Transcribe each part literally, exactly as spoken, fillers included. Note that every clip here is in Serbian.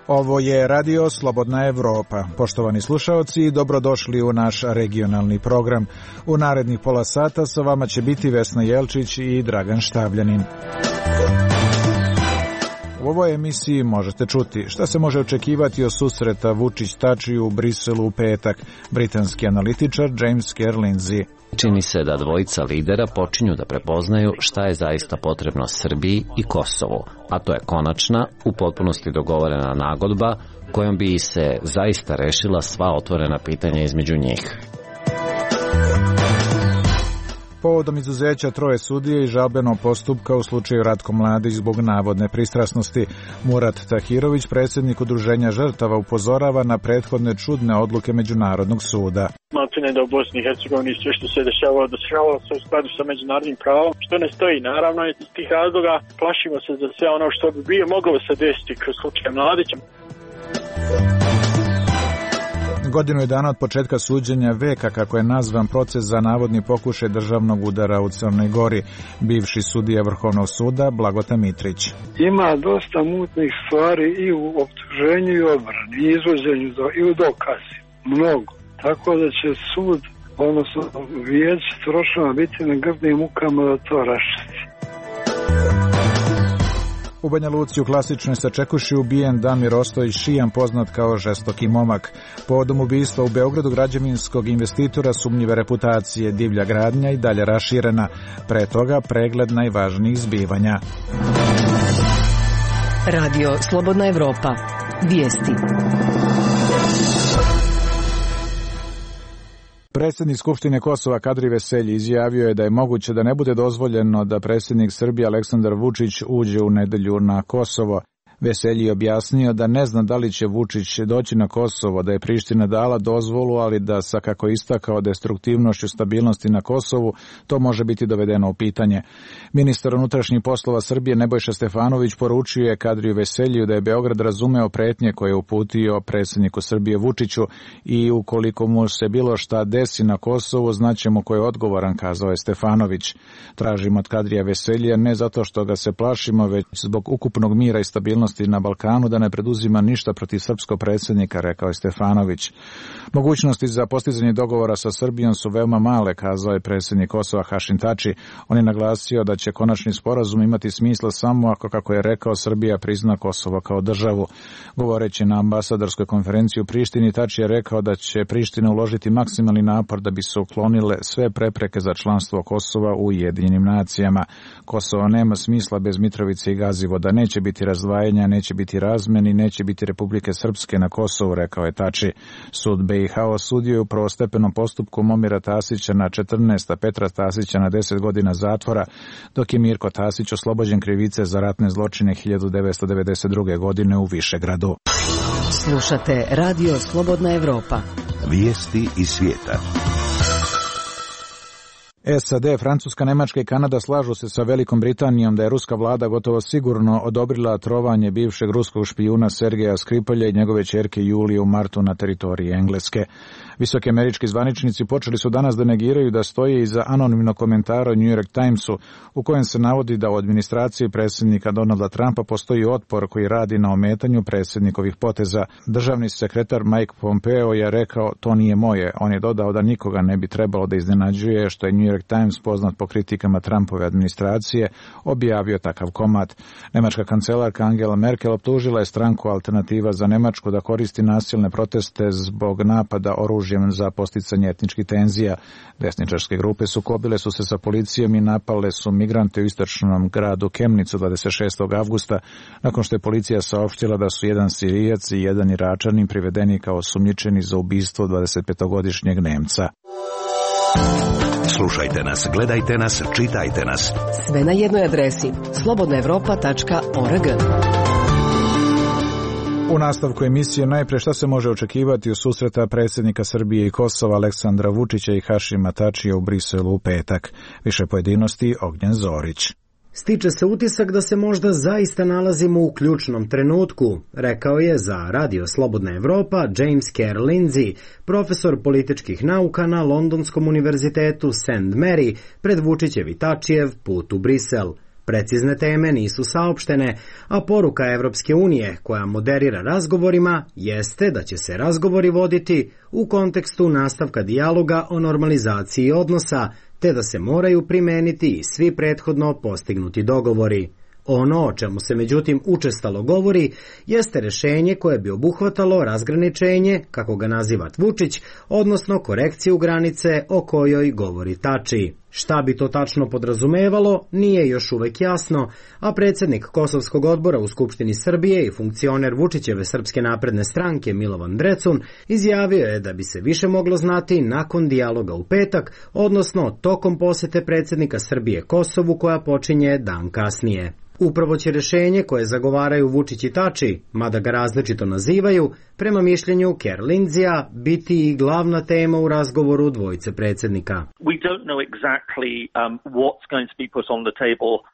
Ovo je Radio Slobodna Evropa. Poštovani slušaoci, dobrodošli u naš regionalni program. U narednih pola sata sa vama će biti Vesna Jelčić i Dragan Štavljanin. U ovoj emisiji možete čuti šta se može očekivati od susreta Vučić-Tači u Briselu u petak. Britanski analitičar James Kerr Lindsay. Čini se da dvojica lidera počinju da prepoznaju šta je zaista potrebno Srbiji i Kosovu, a to je konačna, u potpunosti dogovorena nagodba kojom bi se zaista rešila sva otvorena pitanja između njih. Povodom izuzeća troje sudije i žalbenog postupka u slučaju Ratko Mladić zbog navodne pristrasnosti, Murat Tahirović, predsjednik Udruženja žrtava, upozorava na prethodne čudne odluke Međunarodnog suda. Maltene da u Bosni i Hercegovini sve što se dešavalo, dešavalo se u skladu sa međunarodnim pravom, što ne stoji. Naravno, iz tih razloga plašimo se za sve ono što bi bio moglo se desiti kroz slučaj Mladića. Godinu je dana od početka suđenja veka, kako je nazvan proces za navodni pokušaj državnog udara u Crnoj Gori. Bivši sudija Vrhovnog suda Blagota Mitrić. Ima dosta mutnih stvari i u optuženju i odbrani, i izvođenju i u dokazi. Mnogo. Tako da će sud, odnosno vijeće trošava biti na grdnim mukama da to raščisti. U Banja Luci u klasičnoj Sačekuši ubijen Damir Ostojić Šijan, poznat kao žestoki momak. Povodom ubistva u Beogradu građevinskog investitora sumnjive reputacije, divlja gradnja i dalje raširena. Pre toga pregled najvažnijih zbivanja. Radio Slobodna Evropa. Vijesti. Predsjednik Skupštine Kosova Kadri Veselji izjavio je da je moguće da ne bude dozvoljeno da predsjednik Srbije Aleksandar Vučić uđe u nedelju na Kosovo. Veselji je objasnio da ne zna da li će Vučić doći na Kosovo, da je Priština dala dozvolu, ali da sa, kako istakao, destruktivnošću stabilnosti na Kosovu, to može biti dovedeno u pitanje. Ministar unutrašnjih poslova Srbije Nebojša Stefanović poručio je Kadriju Veseljiju da je Beograd razumeo pretnje koje je uputio predsjedniku Srbije Vučiću i ukoliko mu se bilo šta desi na Kosovu, znaćemo ko je odgovoran, kazao je Stefanović. Tražimo od Kadrija Veseljija ne zato što ga se plašimo, već zbog ukupnog mira i stabilnosti na Balkanu da ne preduzima ništa protiv srpskog predsjednika, rekao je Stefanović. Mogućnosti za postizanje dogovora sa Srbijom su veoma male, kazao je predsjednik Kosova Hašim Tači. On je naglasio da će konačni sporazum imati smisla samo ako, kako je rekao, Srbija prizna Kosovo kao državu. Govoreći na ambasadorskoj konferenciji u Prištini, Tači je rekao da će Priština uložiti maksimalni napor da bi se uklonile sve prepreke za članstvo Kosova u Ujedinjenim nacijama. Kosovo nema smisla bez Mitrovice i Gazivoda, neće biti razdvajanja, neće biti razmeni, neće biti Republike Srpske na Kosovu, rekao je Tači. Sud B i H osudio je u prvostepenom postupku Momira Tasića na četrnaest, a Petra Tasića na deset godina zatvora, dok je Mirko Tasić oslobođen krivice za ratne zločine hiljadu devetsto devedeset druge. godine u Višegradu. Slušate Radio Slobodna Evropa. Vijesti iz svijeta. S A D, Francuska, Nemačka i Kanada slažu se sa Velikom Britanijom da je ruska vlada gotovo sigurno odobrila trovanje bivšeg ruskog špijuna Sergeja Skripalja i njegove ćerke Julije u martu na teritoriji Engleske. Visoki američki zvaničnici počeli su danas da negiraju da stoje iza anonimnog komentara u New York Timesu u kojem se navodi da u administraciji predsjednika Donalda Trumpa postoji otpor koji radi na ometanju predsjednikovih poteza. Državni sekretar Mike Pompeo je rekao to nije moje. On je dodao da nikoga ne bi trebalo da iznenađuje što je New York Times, poznat po kritikama Trumpove administracije, objavio takav komad. Nemačka kancelarka Angela Merkel optužila je stranku Alternativa za Nemačku da koristi nasilne proteste zbog napada oružjem za posticanje etničkih tenzija. Desničarske grupe sukobile su se sa policijom i napale su migrante u istočnom gradu Kemnicu dvadeset šestog avgusta, nakon što je policija saopštila da su jedan Sirijac i jedan Iračanin privedeni kao osumnjičeni za ubistvo dvadesetpetogodišnjeg Nemca. Slušajte nas, gledajte nas, čitajte nas. Sve na jednoj adresi slobodna evropa tačka org. U nastavku emisije najpre šta se može očekivati u susreta predsjednika Srbije i Kosova Aleksandra Vučića i Hašima Tačija u Briselu u petak. Više pojedinosti Ognjen Zorić. Stiče se utisak da se možda zaista nalazimo u ključnom trenutku, rekao je za Radio Slobodna Evropa James Kerr Lindsay, profesor političkih nauka na Londonskom univerzitetu Saint Mary, pred Vučićev i Tačijev put u Brisel. Precizne teme nisu saopštene, a poruka Evropske unije, koja moderira razgovorima, jeste da će se razgovori voditi u kontekstu nastavka dijaloga o normalizaciji odnosa, te da se moraju primeniti i svi prethodno postignuti dogovori. Ono o čemu se međutim učestalo govori jeste rešenje koje bi obuhvatalo razgraničenje, kako ga naziva Vučić, odnosno korekciju granice o kojoj govori Tači. Šta bi to tačno podrazumevalo, nije još uvek jasno, a predsjednik Kosovskog odbora u Skupštini Srbije i funkcioner Vučićeve Srpske napredne stranke Milovan Drecun izjavio je da bi se više moglo znati nakon dijaloga u petak, odnosno tokom posete predsjednika Srbije Kosovu koja počinje dan kasnije. Upravo će rešenje koje zagovaraju Vučić i Tači, mada ga različito nazivaju, prema mišljenju Kerr Lindsaya biti i glavna tema u razgovoru dvojice predsjednika.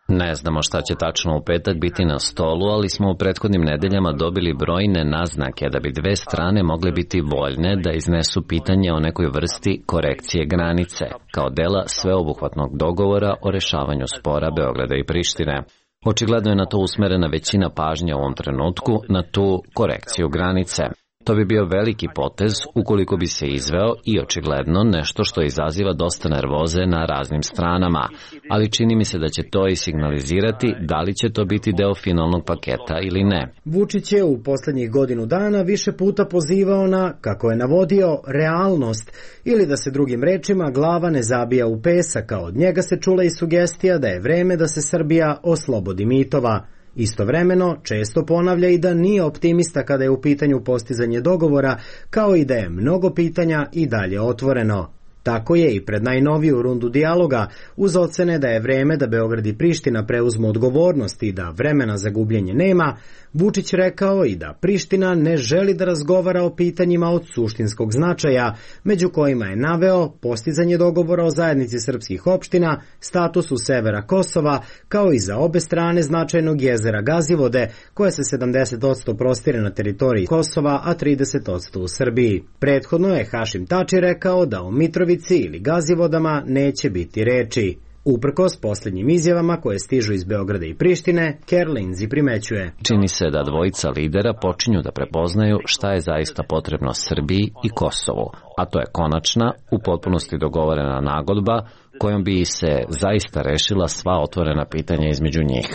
Ne znamo šta će tačno u petak biti na stolu, ali smo u prethodnim nedeljama dobili brojne naznake da bi dve strane mogle biti voljne da iznesu pitanje o nekoj vrsti korekcije granice, kao dela sveobuhvatnog dogovora o rešavanju spora Beograda i Prištine. Očigledno je na to usmerena većina pažnje u ovom trenutku, na tu korekciju granice. To bi bio veliki potez ukoliko bi se izveo i očigledno nešto što izaziva dosta nervoze na raznim stranama, ali čini mi se da će to i signalizirati da li će to biti deo finalnog paketa ili ne. Vučić je u poslednjih godinu dana više puta pozivao na, kako je navodio, realnost ili da se drugim rečima glava ne zabija u pesak, a od njega se čula i sugestija da je vreme da se Srbija oslobodi mitova. Istovremeno, često ponavlja i da nije optimista kada je u pitanju postizanje dogovora, kao i da je mnogo pitanja i dalje otvoreno. Tako je i pred najnoviju rundu dijaloga, uz ocene da je vreme da Beograd i Priština preuzmu odgovornost i da vremena za gubljenje nema, Vučić rekao i da Priština ne želi da razgovara o pitanjima od suštinskog značaja, među kojima je naveo postizanje dogovora o zajednici srpskih opština, statusu severa Kosova, kao i za obe strane značajnog jezera Gazivode, koje se sedamdeset posto prostire na teritoriji Kosova, a trideset posto u Srbiji. Prethodno je Hašim Tači rekao da o Mitrovici ili Gazivodama neće biti reči. Uprkos posljednjim izjavama koje stižu iz Beograda i Prištine, Kerr Lindsay primećuje. Čini se da dvojica lidera počinju da prepoznaju šta je zaista potrebno Srbiji i Kosovu, a to je konačna, u potpunosti dogovorena nagodba kojom bi se zaista rešila sva otvorena pitanja između njih.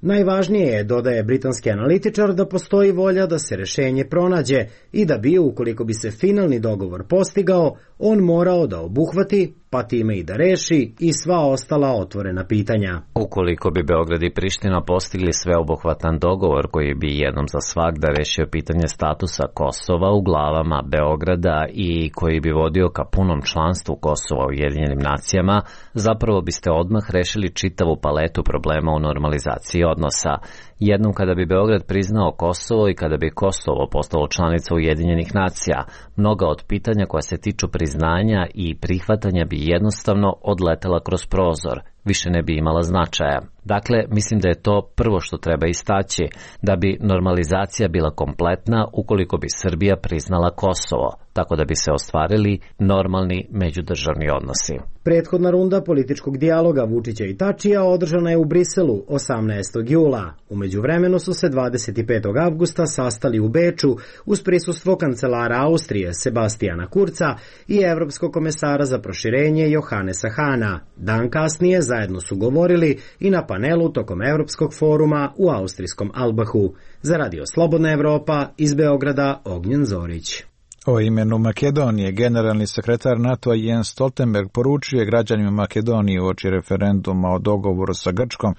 Najvažnije je, dodaje britanski analitičar, da postoji volja da se rešenje pronađe i da bi, ukoliko bi se finalni dogovor postigao, on morao da obuhvati, pa time i da reši, i sva ostala otvorena pitanja. Ukoliko bi Beograd i Priština postigli sveobuhvatan dogovor koji bi jednom za svagda rešio pitanje statusa Kosova u glavama Beograda i koji bi vodio ka punom članstvu Kosova u Ujedinjenim nacijama, zapravo biste odmah rešili čitavu paletu problema u normalizaciji odnosa. Jednom kada bi Beograd priznao Kosovo i kada bi Kosovo postalo članica Ujedinjenih nacija, mnoga od pitanja koja se tiču priznanja i prihvatanja bi jednostavno odletela kroz prozor, više ne bi imala značaja. Dakle, mislim da je to prvo što treba istaći, da bi normalizacija bila kompletna ukoliko bi Srbija priznala Kosovo, tako da bi se ostvarili normalni međudržavni odnosi. Prethodna runda političkog dijaloga Vučića i Tačija održana je u Briselu osamnaestog jula. U međuvremenu su se dvadeset petog avgusta sastali u Beču uz prisustvo kancelara Austrije Sebastijana Kurca i evropskog komesara za proširenje Johanesa Hana. Dan kasnije zajedno su govorili i na panelu tokom Evropskog foruma u austrijskom Albahu. Za Radio Slobodna Evropa, iz Beograda, Ognjen Zorić. O imenu Makedonije generalni sekretar NATO-a Jens Stoltenberg poručuje građanima Makedonije uoči referenduma o dogovoru sa Grčkom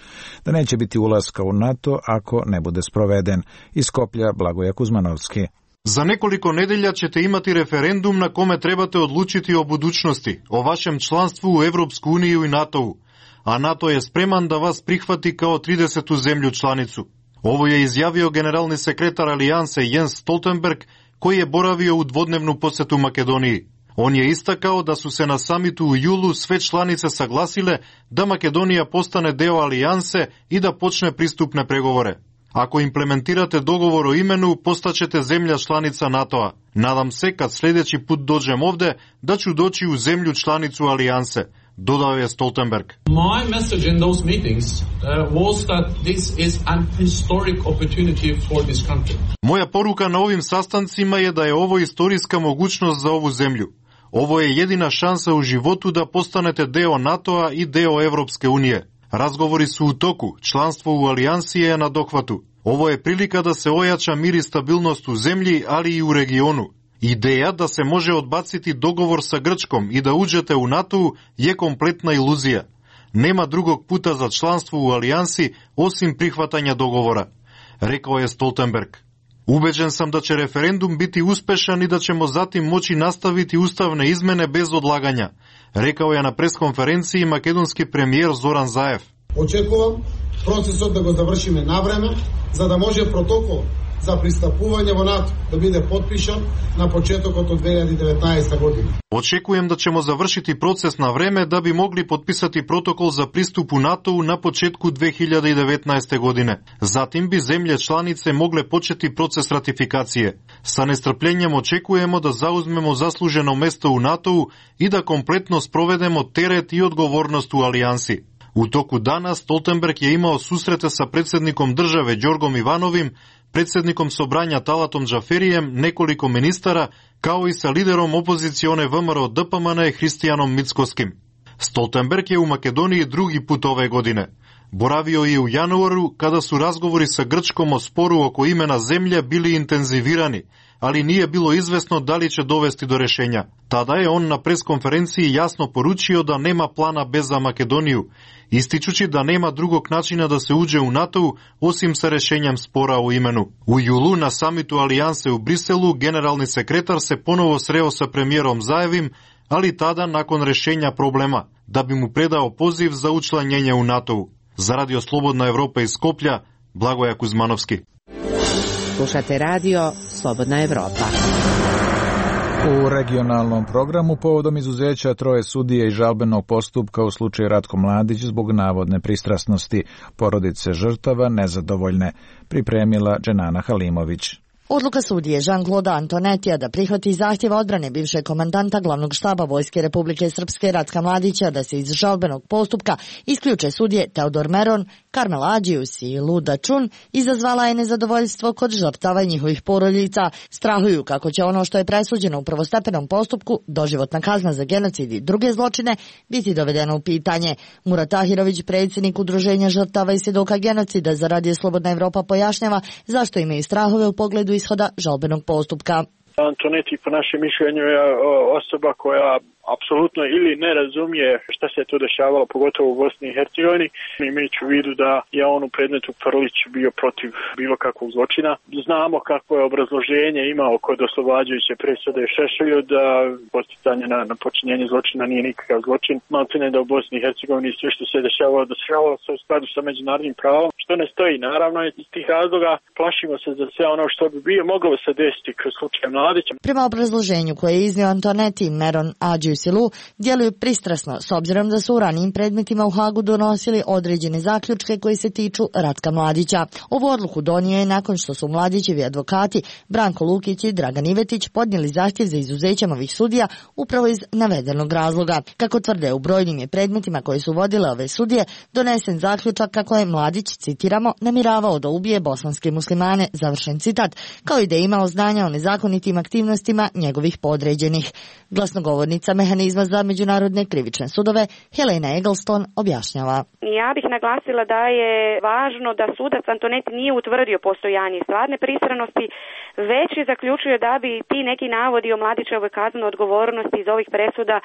da neće biti ulaska u NATO ako ne bude sproveden. Iz Skoplja Blagoje Kuzmanovski. За неколико неделја ćete imati referendum na kome trebate odlučiti o budućnosti, o vašem članstvu u Evropsku uniju i NATO-u, a NATO je spreman da vas prihvati kao tridesetu zemlju članicu. Ovo je izjavio generalni sekretar Alijanse Jens Stoltenberg, koji je boravio u dvodnevnu posetu Makedoniji. On je istakao da su se na samitu u julu sve članice saglasile da Makedonija postane deo alijanse i da počne pristupne pregovore. Ako implementirate dogovor o imenu, postaćete zemlja članica NATO-a. Nadam se, kad sljedeći put dođem ovde, da ću doći u zemlju članicu alijanse, dodao je Stoltenberg. My message in those meetings uh, was that this is an historic opportunity for this country. Moja poruka na ovim sastancima je da je ovo istorijska mogućnost za ovu zemlju. Ovo je jedina šansa u životu da postanete deo NATO-a i deo Evropske unije. Razgovori su u toku, članstvo u alijansi je na dohvatu. Ovo je prilika da se ojača mir i stabilnost u zemlji, ali i u regionu. Ideja da se može odbaciti dogovor sa Grčkom i da uđete u NATO je kompletna iluzija. Nema drugog puta za članstvo u alijansi osim prihvatanja dogovora, rekao je Stoltenberg. Ubeđen sam da će referendum biti uspešan i da ćemo zatim moći nastaviti ustavne izmene bez odlaganja, rekao je na preskonferenciji makedonski premijer Zoran Zaev. Očekujem procesot da ga završime na vreme, za da može protokol za pristupuvanje u NATO da bude potpisan na početak od dve hiljade devetnaeste. godine. Očekujem da ćemo završiti proces na vreme da bi mogli potpisati protokol za pristup u NATO na početku dve hiljade devetnaeste. godine. Zatim bi zemlje članice mogle početi proces ratifikacije. Sa nestrpljenjem očekujemo da zauzmemo zasluženo mesto u NATO i da kompletno sprovedemo teret i odgovornost u alijansi. U toku dana Stoltenberg je imao susrete sa predsjednikom države Đorgom Ivanovim, predsjednikom Sobranja Talatom Džaferijem, nekoliko ministara, kao i sa liderom opozicione V M R O D P M N Hristijanom Mickoskim. Stoltenberg je u Makedoniji drugi put ove godine. Boravio je u januaru kada su razgovori sa Grčkom o sporu oko imena zemlje bili intenzivirani, ali nije bilo izvesno da li će dovesti do rešenja. Tada je on na preskonferenciji jasno poručio da nema plana B za Makedoniju, ističući da nema drugog načina da se uđe u NATO osim sa rešenjem spora o imenu. U julu na samitu alijanse u Briselu generalni sekretar se ponovo sreo sa premijerom Zaevim, ali tada nakon rešenja problema, da bi mu predao poziv za učlanjenje u NATO. Za Radio Slobodna Evropa iz Skoplja, Blagoja Kuzmanovski. Slušate radio Slobodna Evropa. U regionalnom programu povodom izuzeća troje sudije i žalbenog postupka u slučaju Ratko Mladić zbog navodne pristrasnosti, porodice žrtava nezadovoljne, pripremila Dženana Halimović. Odluka sudije Jean-Claude Antonetija da prihvati zahtjev odbrane bivšeg komandanta glavnog štaba Vojske Republike Srpske Ratka Mladića da se iz žalbenog postupka isključe sudije Teodor Meron, Karmel Adžius i Luda Čun izazvala je nezadovoljstvo kod žrtava i njihovih porodica. Strahuju kako će ono što je presuđeno u prvostepenom postupku, doživotna kazna za genocid i druge zločine, biti dovedeno u pitanje. Murat Tahirović, predsjednik Udruženja žrtava i svjedoka genocida za Radio Slobodna Evropa, pojašnjava zašto imaju strahove u pogledu ishoda žalbenog postupka. Antoneti po našem mišljenju je osoba koja apsolutno ili ne razumije šta se tu dešavalo, pogotovo u Bosni i Hercegovini. Imajući u vidu da je on u predmetu Prlić bio protiv bilo kakvog zločina. Znamo kako je obrazloženje imao kod oslobađajuće presude Šešelju da podsticanje na, na počinjenje zločina nije nikakav zločin. Maltene da u Bosni i Hercegovini sve što se dešavalo, dešavalo se u skladu sa međunarodnim pravom, što ne stoji. Naravno, iz tih razloga plašimo se za sve ono što bi bio moglo se desiti kroz slučaj Mladića. Prema obrazloženju koje je iznio Antoneti, Meron, Adžius i Lu djeluju pristrasno s obzirom da su u ranijim predmetima u Hagu donosili određene zaključke koji se tiču Ratka Mladića. Ovu odluku donio je nakon što su Mladićevi advokati Branko Lukić i Dragan Ivetić podnijeli zahtjev za izuzećem ovih sudija upravo iz navedenog razloga. Kako tvrde, u brojnim je predmetima koje su vodile ove sudije donesen zaključak kako je Mladić, citiramo, namiravao da ubije bosanske muslimane, završen citat, kao i da je imao znanja o nezakonitim aktivnostima njegovih podređenih. Glasnogovornica mehanizma za međunarodne krivične sudove Helena Eggleston objašnjava. Ja bih naglasila da je važno da sudac Antoneti nije utvrdio postojanje stvarne pristranosti, već je zaključio da bi ti neki navodi o Mladićevoj kaznenoj odgovornosti iz ovih presuda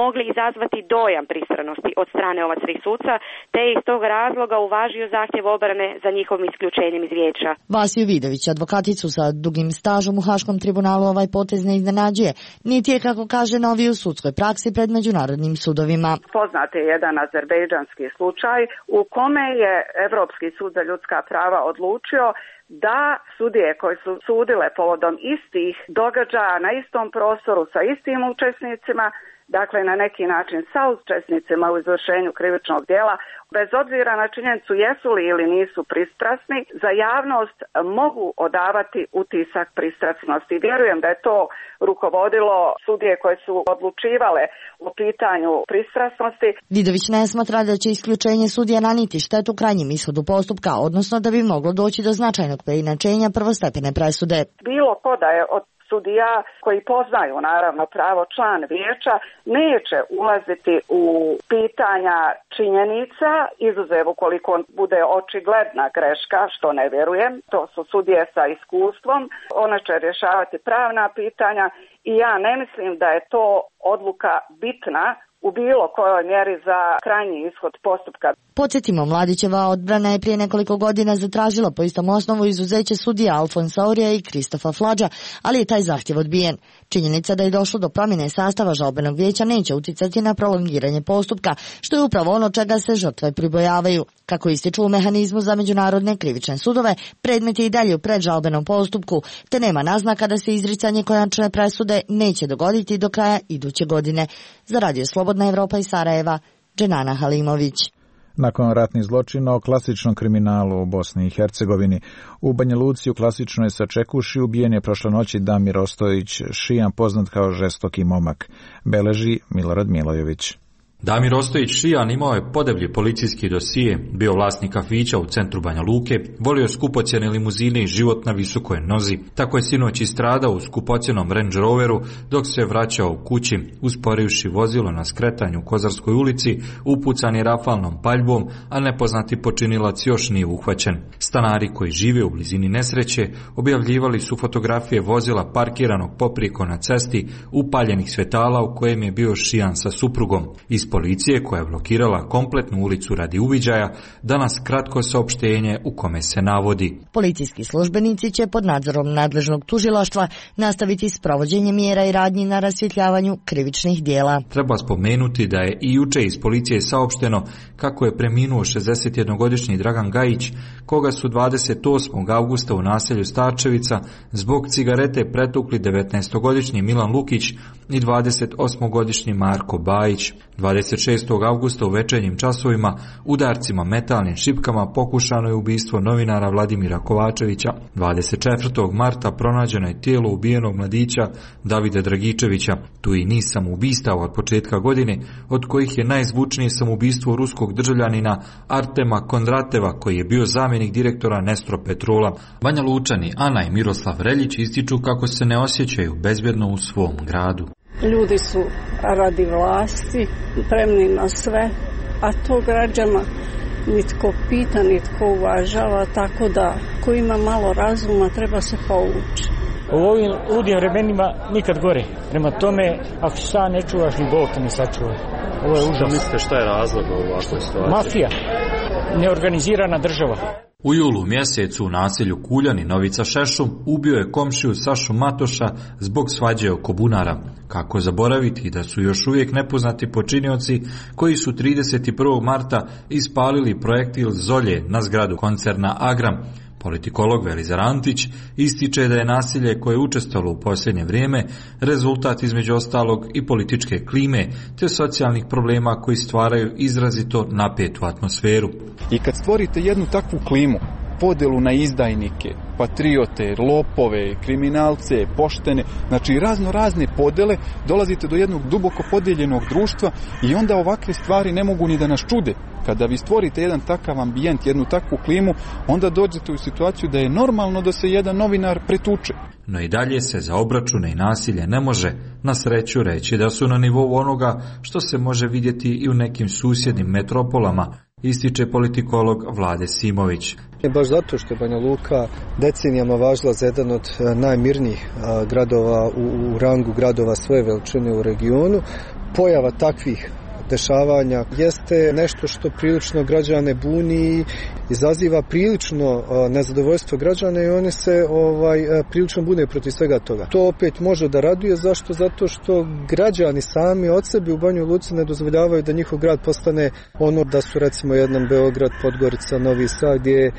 mogli izazvati dojam pristranosti od strane ova tri suca, te je iz tog razloga uvažio zahtjev obrane za njihovim isključenjem iz vijeća. Vasiju Vidović, advokaticu sa dugim stažom u Haškom tribunalu, ovaj potez ne iznenađuje, niti je, kako kaže, novi u sudskoj praksi pred međunarodnim sudovima. Poznat je jedan azerbejdžanski slučaj u kome je Evropski sud za ljudska prava odlučio da sudije koje su sudile povodom istih događaja na istom prostoru sa istim učesnicima, dakle na neki način sa učesnicima u izvršenju krivičnog djela, bez obzira na činjenicu jesu li ili nisu pristrasni, za javnost mogu odavati utisak pristrasnosti. Vjerujem da je to rukovodilo sudije koje su odlučivale o pitanju pristrasnosti. Vidović ne smatra da će isključenje sudija naniti štetu krajnjem ishodu postupka, odnosno da bi moglo doći do značajnog preinačenja prvostepene presude. Bilo ko da je od sudija koji poznaju naravno pravo član vijeća neće ulaziti u pitanja činjenica, izuzev ukoliko bude očigledna greška, što ne vjerujem. To su sudije sa iskustvom, one će rješavati pravna pitanja i ja ne mislim da je to odluka bitna u bilo kojoj mjeri za krajnji ishod postupka. Podsjetimo, Mladićeva odbrana je prije nekoliko godina zatražila po istom osnovu izuzeće sudija Alfonsa Orija i Kristofa Flađa, ali je taj zahtjev odbijen. Činjenica da je došlo do promjene sastava žalbenog vijeća neće uticati na prolongiranje postupka, što je upravo ono čega se žrtve pribojavaju. Kako ističu u mehanizmu za međunarodne krivične sudove, predmet je i dalje u predžalbenom postupku, te nema naznaka da se izricanje konačne presude neće dogoditi do kraja iduće godine. Za Radio Slobodna Evropa iz Sarajeva, Dženana Halimović. Nakon ratnih zločina o klasičnom kriminalu u Bosni i Hercegovini, u Banja Luci u klasičnoj Sačekuši ubijen je prošle noći Damir Ostojić, šijan poznat kao žestoki momak, beleži Milorad Milojević. Damir Ostojić šijan imao je podeblji policijski dosije, bio vlasnik kafića u centru Banja Luke, volio skupocjene limuzine i život na visokoj nozi. Tako je sinoć istradao u skupocjenom Range Roveru dok se vraćao u kući, usporivši vozilo na skretanju u Kozarskoj ulici, upucan je rafalnom paljbom, a nepoznati počinilac još nije uhvaćen. Stanari koji žive u blizini nesreće objavljivali su fotografije vozila parkiranog poprijeko na cesti, upaljenih svjetala u kojem je bio šijan sa suprugom. Iz policije koja je blokirala kompletnu ulicu radi uviđaja, danas kratko saopštenje u kome se navodi. Policijski službenici će pod nadzorom nadležnog tužilaštva nastaviti s provođenjem mjera i radnji na rasvjetljavanju krivičnih dijela. Treba spomenuti da je i juče iz policije saopšteno kako je preminuo šezdesetjednogodišnji Dragan Gajić, koga su dvadeset osmog avgusta u naselju Starčevica zbog cigarete pretukli devetnaestogodišnji Milan Lukić i dvadesetosmogodišnji Marko Bajić. dvadeset šestog avgusta u večernjim časovima udarcima metalnim šipkama pokušano je ubistvo novinara Vladimira Kovačevića. dvadeset četvrtog marta pronađeno je tijelo ubijenog mladića Davida Dragičevića. Tu i niz samoubistava od početka godine, od kojih je najzvučnije samoubistvo ruskog državljanina Artema Kondrateva, koji je bio zamjenik direktora Nestro Petrola. Banja Lučani Ana i Miroslav Reljić ističu kako se ne osjećaju bezbjedno u svom gradu. Ljudi su radi vlasti spremni na sve, a to građana nitko pita, nitko uvažava, tako da ko ima malo razuma treba se povući. U ovim ludim vremenima nikad gore. Prema tome, ako se sam ne čuvaš, ni Bog te ne sačuva. Ovo je užas. Mislite šta je razlog u ovakvoj situaciji? Mafija, neorganizirana država. U julu mjesecu u naselju Kuljani Novica Šešum ubio je komšiju Sašu Matoša zbog svađe oko bunara. Kako zaboraviti da su još uvijek nepoznati počinioci koji su trideset prvog marta ispalili projektil Zolje na zgradu koncerna Agram. Politikolog Velizar Antić ističe da je nasilje koje je učestalo u posljednje vrijeme rezultat između ostalog i političke klime te socijalnih problema koji stvaraju izrazito napetu atmosferu. I kad stvorite jednu takvu klimu, podjelu na izdajnike, patriote, lopove, kriminalce, poštene, znači razno razne podjele, dolazite do jednog duboko podijeljenog društva i onda ovakve stvari ne mogu ni da nas čude. Kada vi stvorite jedan takav ambijent, jednu takvu klimu, onda dođete u situaciju da je normalno da se jedan novinar pretuče. No i dalje se za obračune i nasilje ne može na sreću reći da su na nivou onoga što se može vidjeti i u nekim susjednim metropolama, ističe politikolog Vlade Simović. Baš zato što je Banja Luka decenijama važila za jedan od najmirnijih gradova u, u rangu gradova svoje veličine u regionu, pojava takvih dešavanja jeste nešto što prilično građane buni i izaziva prilično nezadovoljstvo građana i oni se ovaj prilično bune protiv svega toga. To opet može da raduje, zašto? Zato što građani sami od sebe u Banjoj Luci ne dozvoljavaju da njihov grad postane ono da su recimo jedan Beograd, Podgorica, Novi Sad, gdje je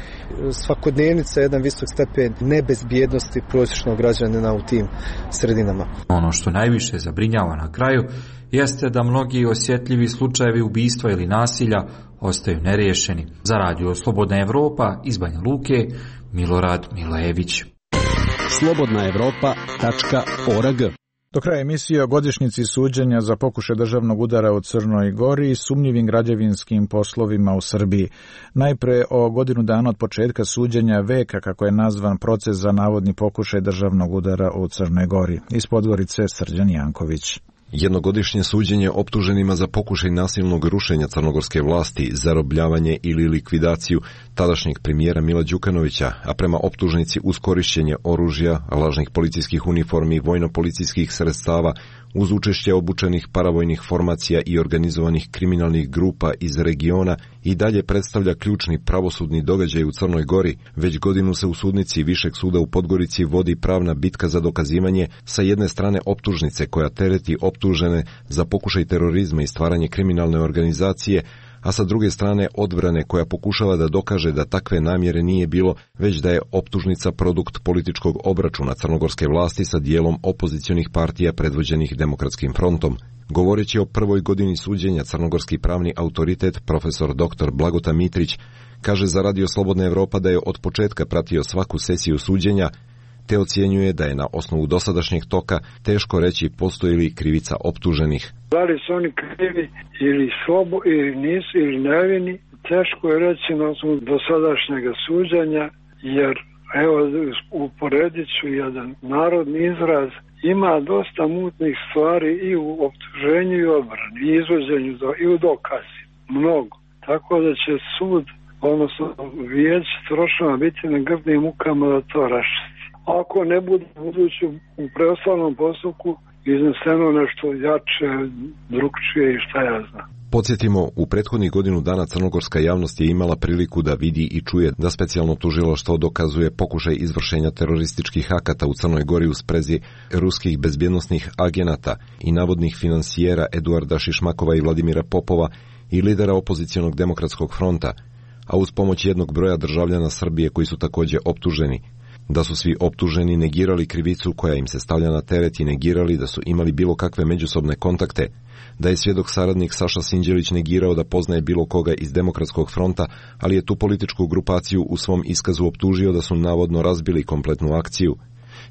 svakodnevnica jedan visok stepen nebezbjednosti prosječnog građanina u tim sredinama. Ono što najviše zabrinjava na kraju jeste da mnogi osjetljivi slučajevi ubistva ili nasilja ostaju neriješeni. Za radio Slobodna Evropa iz Banja Luke, Milorad Milajević. slobodna evropa tačka org. Do kraja emisije o godišnjici suđenja za pokušaj državnog udara u Crnoj Gori i sumnjivim građevinskim poslovima u Srbiji. Najpre o godinu dana od početka suđenja veka, kako je nazvan proces za navodni pokušaj državnog udara u Crnoj Gori. Iz Podgorice Srđan Janković. Jednogodišnje suđenje optuženima za pokušaj nasilnog rušenja crnogorske vlasti, zarobljavanje ili likvidaciju tadašnjeg premijera Mila Đukanovića, a prema optužnici uz korišćenje oružja, lažnih policijskih uniformi i vojno-policijskih sredstava, uz učešće obučenih paravojnih formacija i organizovanih kriminalnih grupa iz regiona, i dalje predstavlja ključni pravosudni događaj u Crnoj Gori. Već godinu se u sudnici Višeg suda u Podgorici vodi pravna bitka za dokazivanje sa jedne strane optužnice koja tereti optužene za pokušaj terorizma i stvaranje kriminalne organizacije, a sa druge strane odbrane koja pokušava da dokaže da takve namjere nije bilo, već da je optužnica produkt političkog obračuna crnogorske vlasti sa dijelom opozicionih partija predvođenih Demokratskim frontom. Govoreći o prvoj godini suđenja, crnogorski pravni autoritet profesor doktor Blagota Mitrić kaže za Radio Slobodna Evropa da je od početka pratio svaku sesiju suđenja, te ocjenjuje da je na osnovu dosadašnjeg toka teško reći postoji li krivica optuženih. Da li su oni krivi ili slobo ili nisu ili nevini, teško je reći na osnovu dosadašnjeg suđenja, jer evo uporedit ću jedan narodni izraz, ima dosta mutnih stvari i u optuženju i odbrani, i izvođenju i u dokazi, mnogo. Tako da će sud, odnosno vijeće trošava biti na grdnim mukama da to raščisti. Ako ne bude budući u preostalnom postupku izneseno nešto jače, drugčije i šta ja znam. Podsjetimo, u prethodnih godinu dana crnogorska javnost je imala priliku da vidi i čuje da specijalno tužilaštvo dokazuje pokušaj izvršenja terorističkih akata u Crnoj Gori u sprezi ruskih bezbjednosnih agenata i navodnih finansijera Eduarda Šišmakova i Vladimira Popova i lidera opozicionog Demokratskog fronta, a uz pomoć jednog broja državljana Srbije koji su također optuženi. Da su svi optuženi negirali krivicu koja im se stavlja na teret i negirali da su imali bilo kakve međusobne kontakte, da je svjedok saradnik Saša Sinđelić negirao da poznaje bilo koga iz Demokratskog fronta, ali je tu političku grupaciju u svom iskazu optužio da su navodno razbili kompletnu akciju.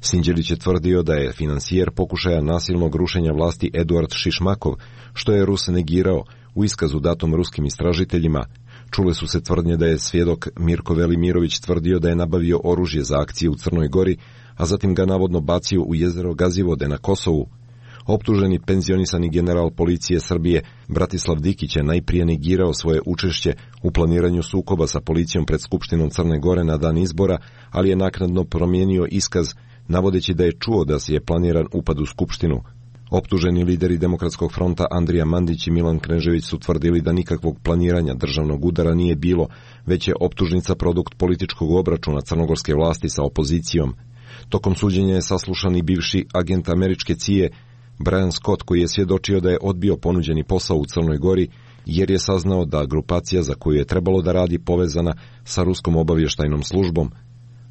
Sinđelić je tvrdio da je finansijer pokušaja nasilnog rušenja vlasti Eduard Šišmakov, što je Rus negirao u iskazu datom ruskim istražiteljima. Čule su se tvrdnje da je svjedok Mirko Velimirović tvrdio da je nabavio oružje za akcije u Crnoj Gori, a zatim ga navodno bacio u jezero Gazivode na Kosovu. Optuženi penzionisani general policije Srbije Bratislav Dikić je najprije negirao svoje učešće u planiranju sukoba sa policijom pred Skupštinom Crne Gore na dan izbora, ali je naknadno promijenio iskaz, navodeći da je čuo da se je planiran upad u Skupštinu. Optuženi lideri Demokratskog fronta Andrija Mandić i Milan Knežević su tvrdili da nikakvog planiranja državnog udara nije bilo, već je optužnica produkt političkog obračuna crnogorske vlasti sa opozicijom. Tokom suđenja je saslušan i bivši agent američke C I A Brian Scott, koji je svjedočio da je odbio ponuđeni posao u Crnoj Gori, jer je saznao da grupacija za koju je trebalo da radi povezana sa ruskom obavještajnom službom.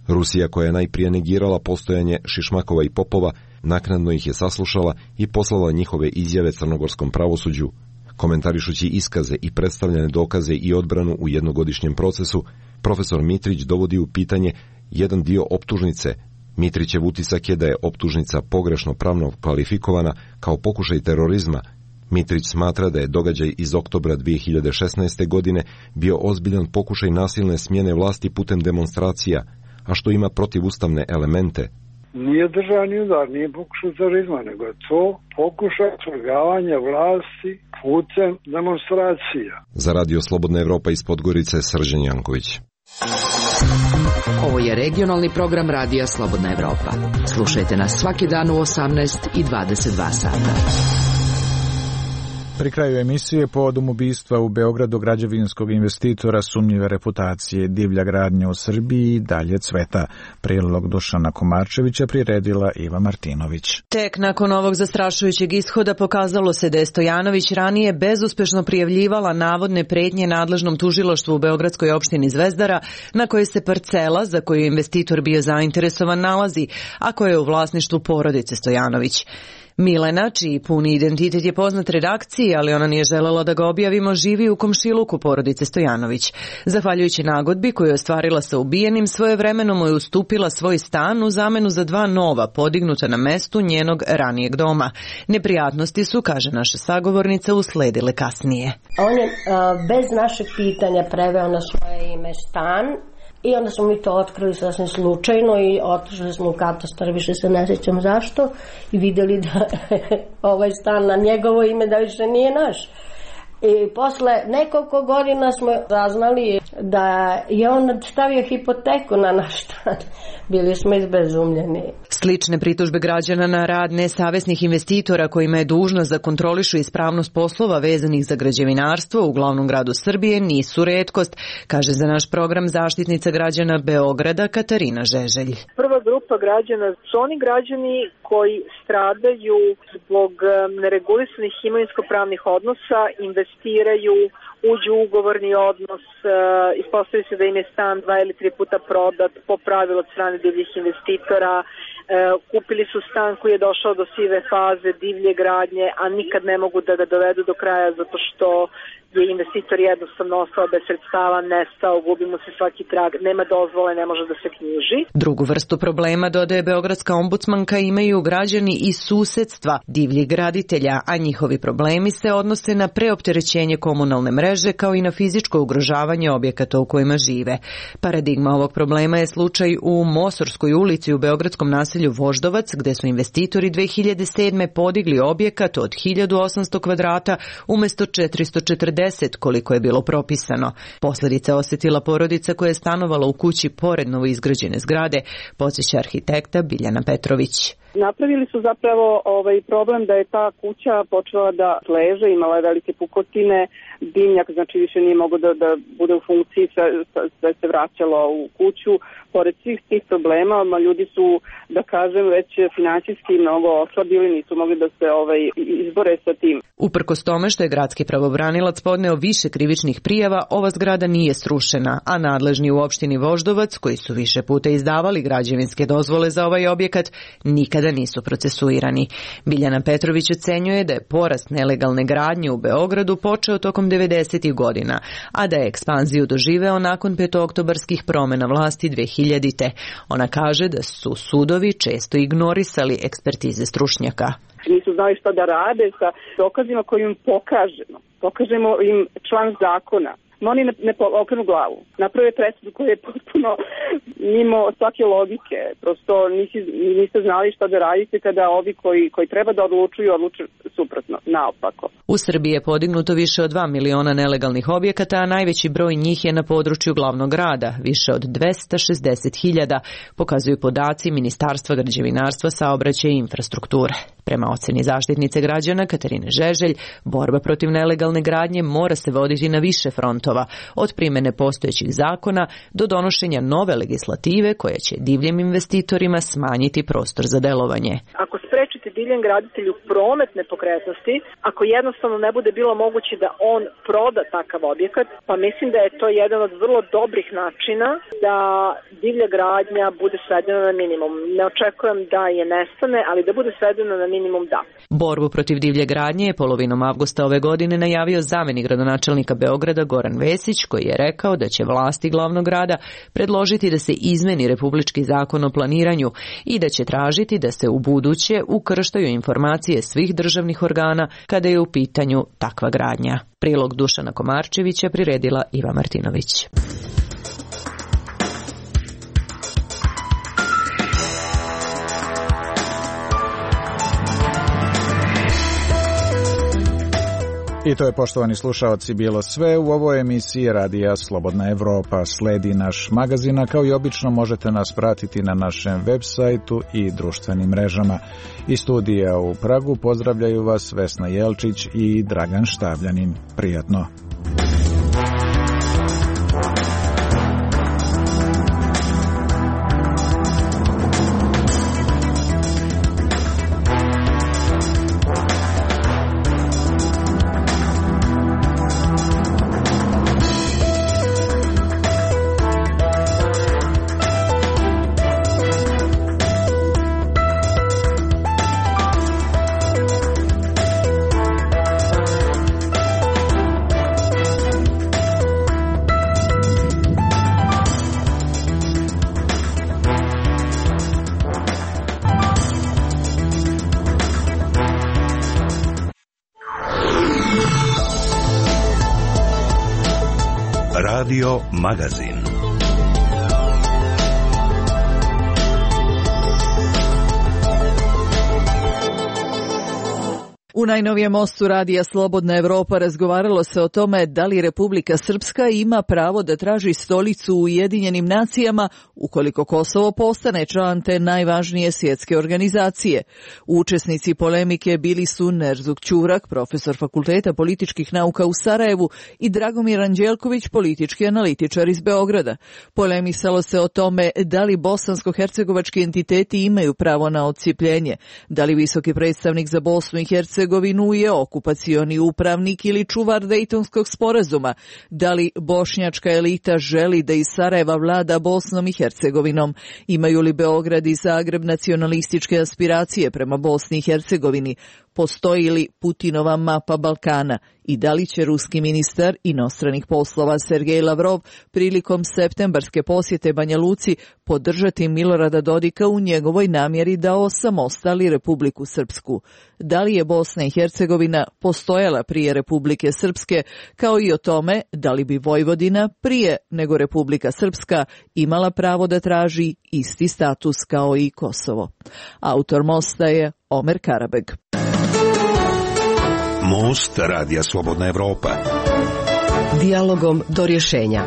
Rusija, koja je najprije negirala postojanje Šišmakova i Popova, naknadno ih je saslušala i poslala njihove izjave crnogorskom pravosuđu. Komentarišući iskaze i predstavljene dokaze i odbranu u jednogodišnjem procesu, profesor Mitrić dovodi u pitanje jedan dio optužnice. Mitrićev utisak je da je optužnica pogrešno pravno kvalifikovana kao pokušaj terorizma. Mitrić smatra da je događaj iz oktobra dvije hiljade šesnaeste. godine bio ozbiljan pokušaj nasilne smjene vlasti putem demonstracija, a što ima protivustavne elemente. Nije državni udar, nije pokušaj terorizma, nego je to pokušaj svrgavanja vlasti putem demonstracija. Za Radio Slobodna Evropa iz Podgorice, Srđan Janković. Ovo je regionalni program Radija Slobodna Evropa. Slušajte nas svaki dan u osamnaest i dvadeset dva sata. Pri kraju emisije povodom ubistva u Beogradu građevinskog investitora sumnjive reputacije divlja gradnja u Srbiji dalje cveta. Prilog Dušana Komarčevića priredila Iva Martinović. Tek nakon ovog zastrašujućeg ishoda pokazalo se da je Stojanović ranije bezuspešno prijavljivala navodne pretnje nadležnom tužilaštvu u beogradskoj opštini Zvezdara, na kojoj se parcela za koju je investitor bio zainteresovan nalazi, a koja je u vlasništvu porodice Stojanović. Milena, čiji puni identitet je poznat redakciji, ali ona nije želela da ga objavimo, živi u komšiluku porodice Stojanović. Zahvaljujući nagodbi koju je ostvarila sa ubijenim, svojevremeno mu je ustupila svoj stan u zamenu za dva nova, podignuta na mestu njenog ranijeg doma. Neprijatnosti su, kaže naša sagovornica, usledile kasnije. On je a, bez našeg pitanja preveo na svoje ime stan. I onda smo mi to otkrili sasvim slučajno i otišli smo u katastar, više se ne sjećam zašto, i vidjeli da ovaj stan na njegovo ime da više nije naš. I posle nekoliko godina smo saznali da je on stavio hipoteku na naš stan. Bili smo izbezumljeni. Slične pritužbe građana na rad nesavesnih investitora kojima je dužnost da kontrolišu ispravnost poslova vezanih za građevinarstvo u glavnom gradu Srbije nisu retkost, kaže za naš program zaštitnica građana Beograda Katarina Žeželj. Prva grupa građana su oni građani koji stradaju zbog neregulisanih imovinsko-pravnih odnosa, investiraju, uđu u ugovorni odnos, ispostavi se da im je stan dva ili tri puta prodat po pravilu od strane divljih investitora, kupili su stan koji je došao do sive faze divlje gradnje, a nikad ne mogu da ga dovedu do kraja zato što je investitor jednostavno ostao bez sredstava, nestao, gubi mu se svaki trag, nema dozvole, ne može da se knjiži. Drugu vrstu problema, dodaje beogradska ombudsmanka, imaju građani iz susedstva divljih graditelja, a njihovi problemi se odnose na preopterećenje komunalne mreže kao i na fizičko ugrožavanje objekata u kojima žive. Paradigma ovog problema je slučaj u Mosorskoj ulici u beogradskom naselju Voždovac, gde su investitori dve hiljade sedme podigli objekat od hiljadu osamsto kvadrata umesto četiristo četrdeset koliko je bilo propisano. Posledice osetila porodica koja je stanovala u kući pored novoizgrađene zgrade, podsjeća arhitekta Biljana Petrović. Napravili su zapravo ovaj problem da je ta kuća počela da leže, imala je velike pukotine, dimnjak znači više nije mogao da, da bude u funkciji, sve, sve se vraćalo u kuću. Pored svih tih problema, ljudi su, da kažem, već finansijski mnogo oslabili, nisu mogli da se ovaj, izbore sa tim. Uprkos tome što je gradski pravobranilac podneo više krivičnih prijava, ova zgrada nije srušena, a nadležni u opštini Voždovac, koji su više puta izdavali građevinske dozvole za ovaj objekat, nikada nisu procesuirani. Biljana Petrović ocenjuje da je porast nelegalne gradnje u Beogradu počeo tokom devedesetih godina, a da je ekspanziju doživeo nakon petooktobarskih promena vlasti dve hiljadite. Ona kaže da su sudovi često ignorisali ekspertize stručnjaka. Nisu znali šta da rade sa dokazima koje im pokažemo. Pokažemo im član zakona. No oni ne, ne okrenu glavu. Naprave presudu koja je potpuno mimo svake logike. Prosto nisi, niste znali šta da radite kada ovi koji, koji treba da odlučuju, odlučuju suprotno, naopako. U Srbiji je podignuto više od dva miliona nelegalnih objekata, a najveći broj njih je na području glavnog grada, više od dvesta šezdeset hiljada, pokazuju podaci Ministarstva građevinarstva, saobraćaja i infrastrukture. Prema oceni zaštitnice građana Katarine Žeželj, borba protiv nelegalne gradnje mora se voditi na više frontova, od primene postojećih zakona do donošenja nove legislative koja će divljim investitorima smanjiti prostor za delovanje. Ako sprečite divljem graditelju promet nepokretnosti, ako jednostavno ne bude bilo moguće da on proda takav objekat, pa mislim da je to jedan od vrlo dobrih načina da divlja gradnja bude svedena na minimum. Ne očekujem da je nestane, ali da bude svedena na minimum, da. Borbu protiv divlje gradnje je polovinom avgusta ove godine najavio zamenik gradonačelnika Beograda Goran Vesić, koji je rekao da će vlasti glavnog grada predložiti da se izmeni republički zakon o planiranju i da će tražiti da se u buduće ukrštaju informacije svih državnih organa kada je u pitanju takva gradnja. Prilog Dušana Komarčevića priredila Iva Martinović. I to je, poštovani slušaoci, bilo sve u ovoj emisiji Radija Slobodna Evropa. Sledi naš magazin, a kao i obično možete nas pratiti na našem web sajtu i društvenim mrežama. Iz studija u Pragu pozdravljaju vas Vesna Jelčić i Dragan Štavljanin. Prijatno. Radio Magazin. U najnovijem mostu Radija Slobodna Evropa razgovaralo se o tome da li Republika Srpska ima pravo da traži stolicu u Ujedinjenim nacijama ukoliko Kosovo postane član te najvažnije svjetske organizacije. Učesnici polemike bili su Nerzuk Ćurak, profesor Fakulteta političkih nauka u Sarajevu, i Dragomir Anđelković, politički analitičar iz Beograda. Polemisalo se o tome da li bosansko-hercegovački entiteti imaju pravo na odcijepljenje, da li visoki predstavnik za Bosnu i Hercegovinu je okupacioni upravnik ili čuvar Dejtonskog sporazuma, da li bošnjačka elita želi da iz Sarajeva vlada Bosnom i Hercegovinom, imaju li Beograd i Zagreb nacionalističke aspiracije prema Bosni i Hercegovini, postoji li Putinova mapa Balkana i da li će ruski ministar inostranih poslova Sergej Lavrov prilikom septembarske posjete Banja Luci podržati Milorada Dodika u njegovoj namjeri da osamostali Republiku Srpsku. Da li je Bosna i Hercegovina postojala prije Republike Srpske, kao i o tome da li bi Vojvodina prije nego Republika Srpska imala pravo da traži isti status kao i Kosovo. Autor mosta je Omer Karabeg. Most Radija Slobodna Evropa. Dijalogom do rješenja.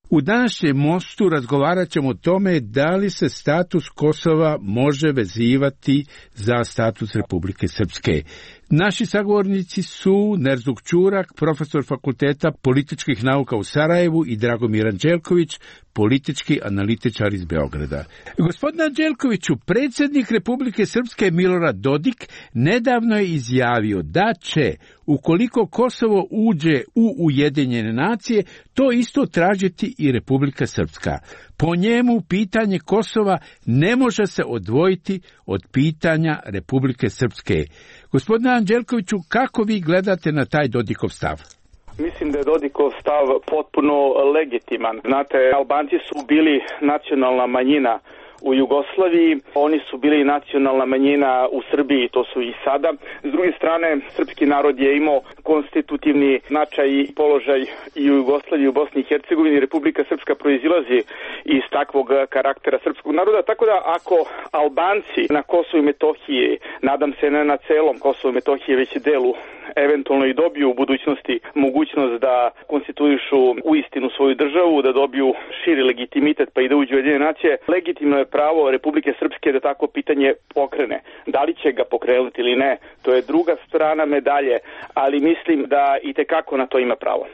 U današnjem mostu razgovarat ćemo o tome da li se status Kosova može vezivati za status Republike Srpske. Naši sagovornici su Nerzuk Ćurak, profesor Fakulteta političkih nauka u Sarajevu, i Dragomir Anđelković, politički analitičar iz Beograda. Gospodine Anđelkoviću, predsjednik Republike Srpske Milorad Dodik nedavno je izjavio da će, ukoliko Kosovo uđe u Ujedinjene nacije, to isto tražiti i Republika Srpska. Po njemu pitanje Kosova ne može se odvojiti od pitanja Republike Srpske. Gospodine Anđelkoviću, kako vi gledate na taj Dodikov stav? Mislim da je Dodikov stav potpuno legitiman. Znate, Albanci su bili nacionalna manjina u Jugoslaviji, oni su bili nacionalna manjina u Srbiji, to su i sada. S druge strane, srpski narod je imao konstitutivni značaj i položaj i u Jugoslaviji, i u Bosni i Hercegovini. Republika Srpska proizilazi iz takvog karaktera srpskog naroda, tako da ako Albanci na Kosovu i Metohiji, nadam se ne na celom Kosovu i Metohiji, već delu, eventualno i dobiju u budućnosti mogućnost da konstituišu u istinu svoju državu, da dobiju širi legitimitet pa i da uđu u Ujedinjene nacije, legitimno je pravo Republike Srpske da tako pitanje pokrene. Da li će ga pokrenuti ili ne, to je druga strana medalje, ali mislim da i tekako na to ima pravo.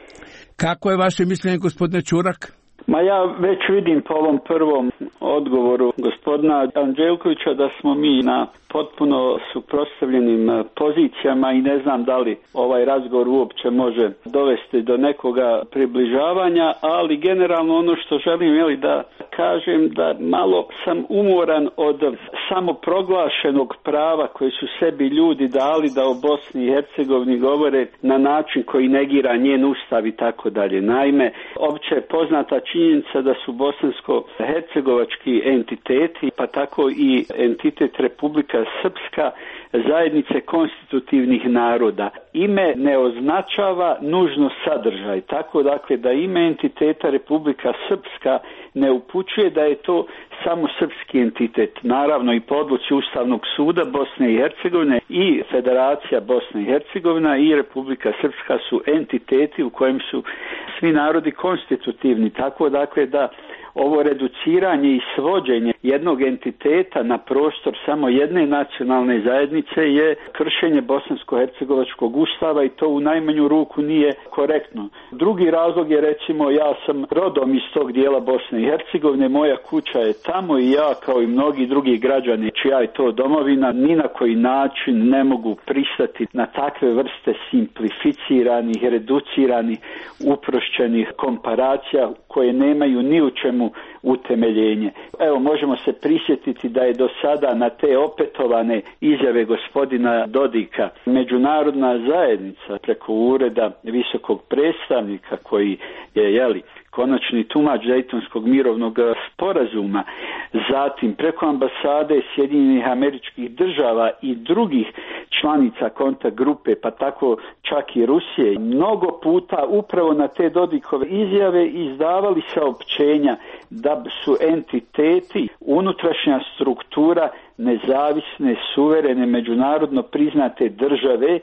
Kako je vaše mišljenje, gospodine Ćurak? Ma ja već vidim po ovom prvom odgovoru gospodina Anđelkovića da smo mi na potpuno suprotstavljenim pozicijama i ne znam da li ovaj razgovor uopće može dovesti do nekoga približavanja, ali generalno ono što želim je li da kažem da malo sam umoran od samoproglašenog prava koje su sebi ljudi dali da o Bosni i Hercegovini govore na način koji negira njen ustav i tako dalje. Naime, opće je poznata činjenica da su bosansko-hercegovački entiteti, pa tako i entitet Republika Srpska, zajednice konstitutivnih naroda. Ime ne označava nužno sadržaj, tako dakle da ime entiteta Republika Srpska ne upućuje da je to samo srpski entitet. Naravno i po odluci Ustavnog suda Bosne i Hercegovine i Federacija Bosne i Hercegovina i Republika Srpska su entiteti u kojem su svi narodi konstitutivni, tako dakle da ovo reduciranje i svođenje jednog entiteta na prostor samo jedne nacionalne zajednice je kršenje bosansko-hercegovačkog ustava i to u najmanju ruku nije korektno. Drugi razlog je, recimo, ja sam rodom iz tog dijela Bosne i Hercegovine, moja kuća je tamo i ja kao i mnogi drugi građani čija je to domovina ni na koji način ne mogu pristati na takve vrste simplificiranih, reduciranih, uprošćenih komparacija koje nemaju ni u čemu utemeljenje. Evo, možemo se prisjetiti da je do sada na te opetovane izjave gospodina Dodika međunarodna zajednica preko ureda visokog predstavnika koji je, jeli, konačni tumač Dejtonskog mirovnog sporazuma, zatim preko ambasade Sjedinjenih Američkih Država i drugih članica kontakt grupe, pa tako čak i Rusije, mnogo puta upravo na te Dodikove izjave izdavali saopćenja da su entiteti unutrašnja struktura nezavisne, suverene, međunarodno priznate države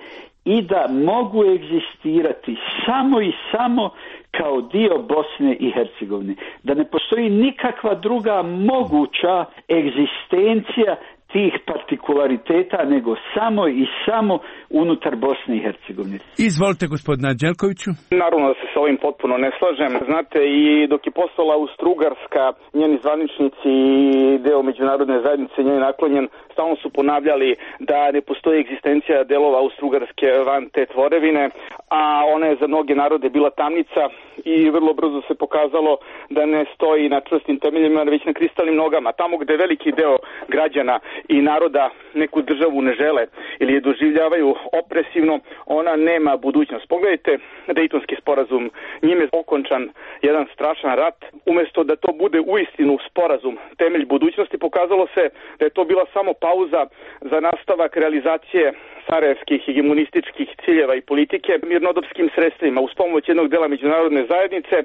i da mogu egzistirati samo i samo kao dio Bosne i Hercegovine. Da ne postoji nikakva druga moguća egzistencija tih partikulariteta nego samo i samo unutar Bosne i Hercegovine. Izvolite, gospodine Anđelkoviću. Naravno da se sa ovim potpuno ne slažem. Znate, i dok je postala Austro-Ugarska, njeni zvaničnici i deo međunarodne zajednice njeni naklonjen, stalno su ponavljali da ne postoji egzistencija delova Austro-Ugarske van te tvorevine, a ona je za mnoge narode bila tamnica i vrlo brzo se pokazalo da ne stoji na čvrstim temeljima, već na kristalnim nogama. Tamo gde veliki deo građana i naroda neku državu ne žele ili je doživljavaju opresivno, ona nema budućnost. Pogledajte Dejtonski sporazum, njime je okončan jedan strašan rat. Umesto da to bude uistinu sporazum, temelj budućnosti, pokazalo se da je to bila samo pauza za nastavak realizacije sarajevskih hegemonističkih ciljeva i politike mirnodopskim sredstvima. Uz pomoć jednog dela međunarodne zajednice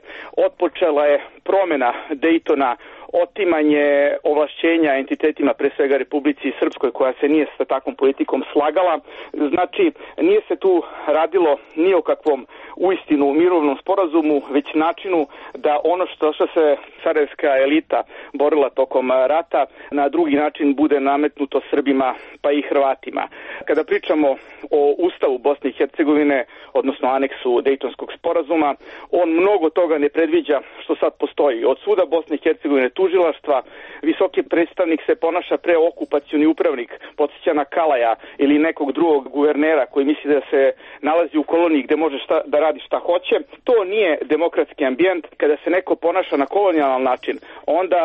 otpočela je promjena Dejtona, otimanje ovlašćenja entitetima, pre svega Republici Srpskoj, koja se nije sa takvom politikom slagala. Znači, nije se tu radilo ni o kakvom uistinu mirovnom sporazumu, već načinu da ono što, što se sarajevska elita borila tokom rata na drugi način bude nametnuto Srbima pa i Hrvatima. Kada pričamo o Ustavu Bosne i Hercegovine, odnosno aneksu Dejtonskog sporazuma, on mnogo toga ne predviđa što sad postoji. Od suda Bosne i Hercegovine, tužilaštva, visoki predstavnik se ponaša preokupacioni upravnik, podsjeća na Kalaja ili nekog drugog guvernera koji misli da se nalazi u koloniji gde može šta, da radi šta hoće. To nije demokratski ambijent. Kada se neko ponaša na kolonijalan način, onda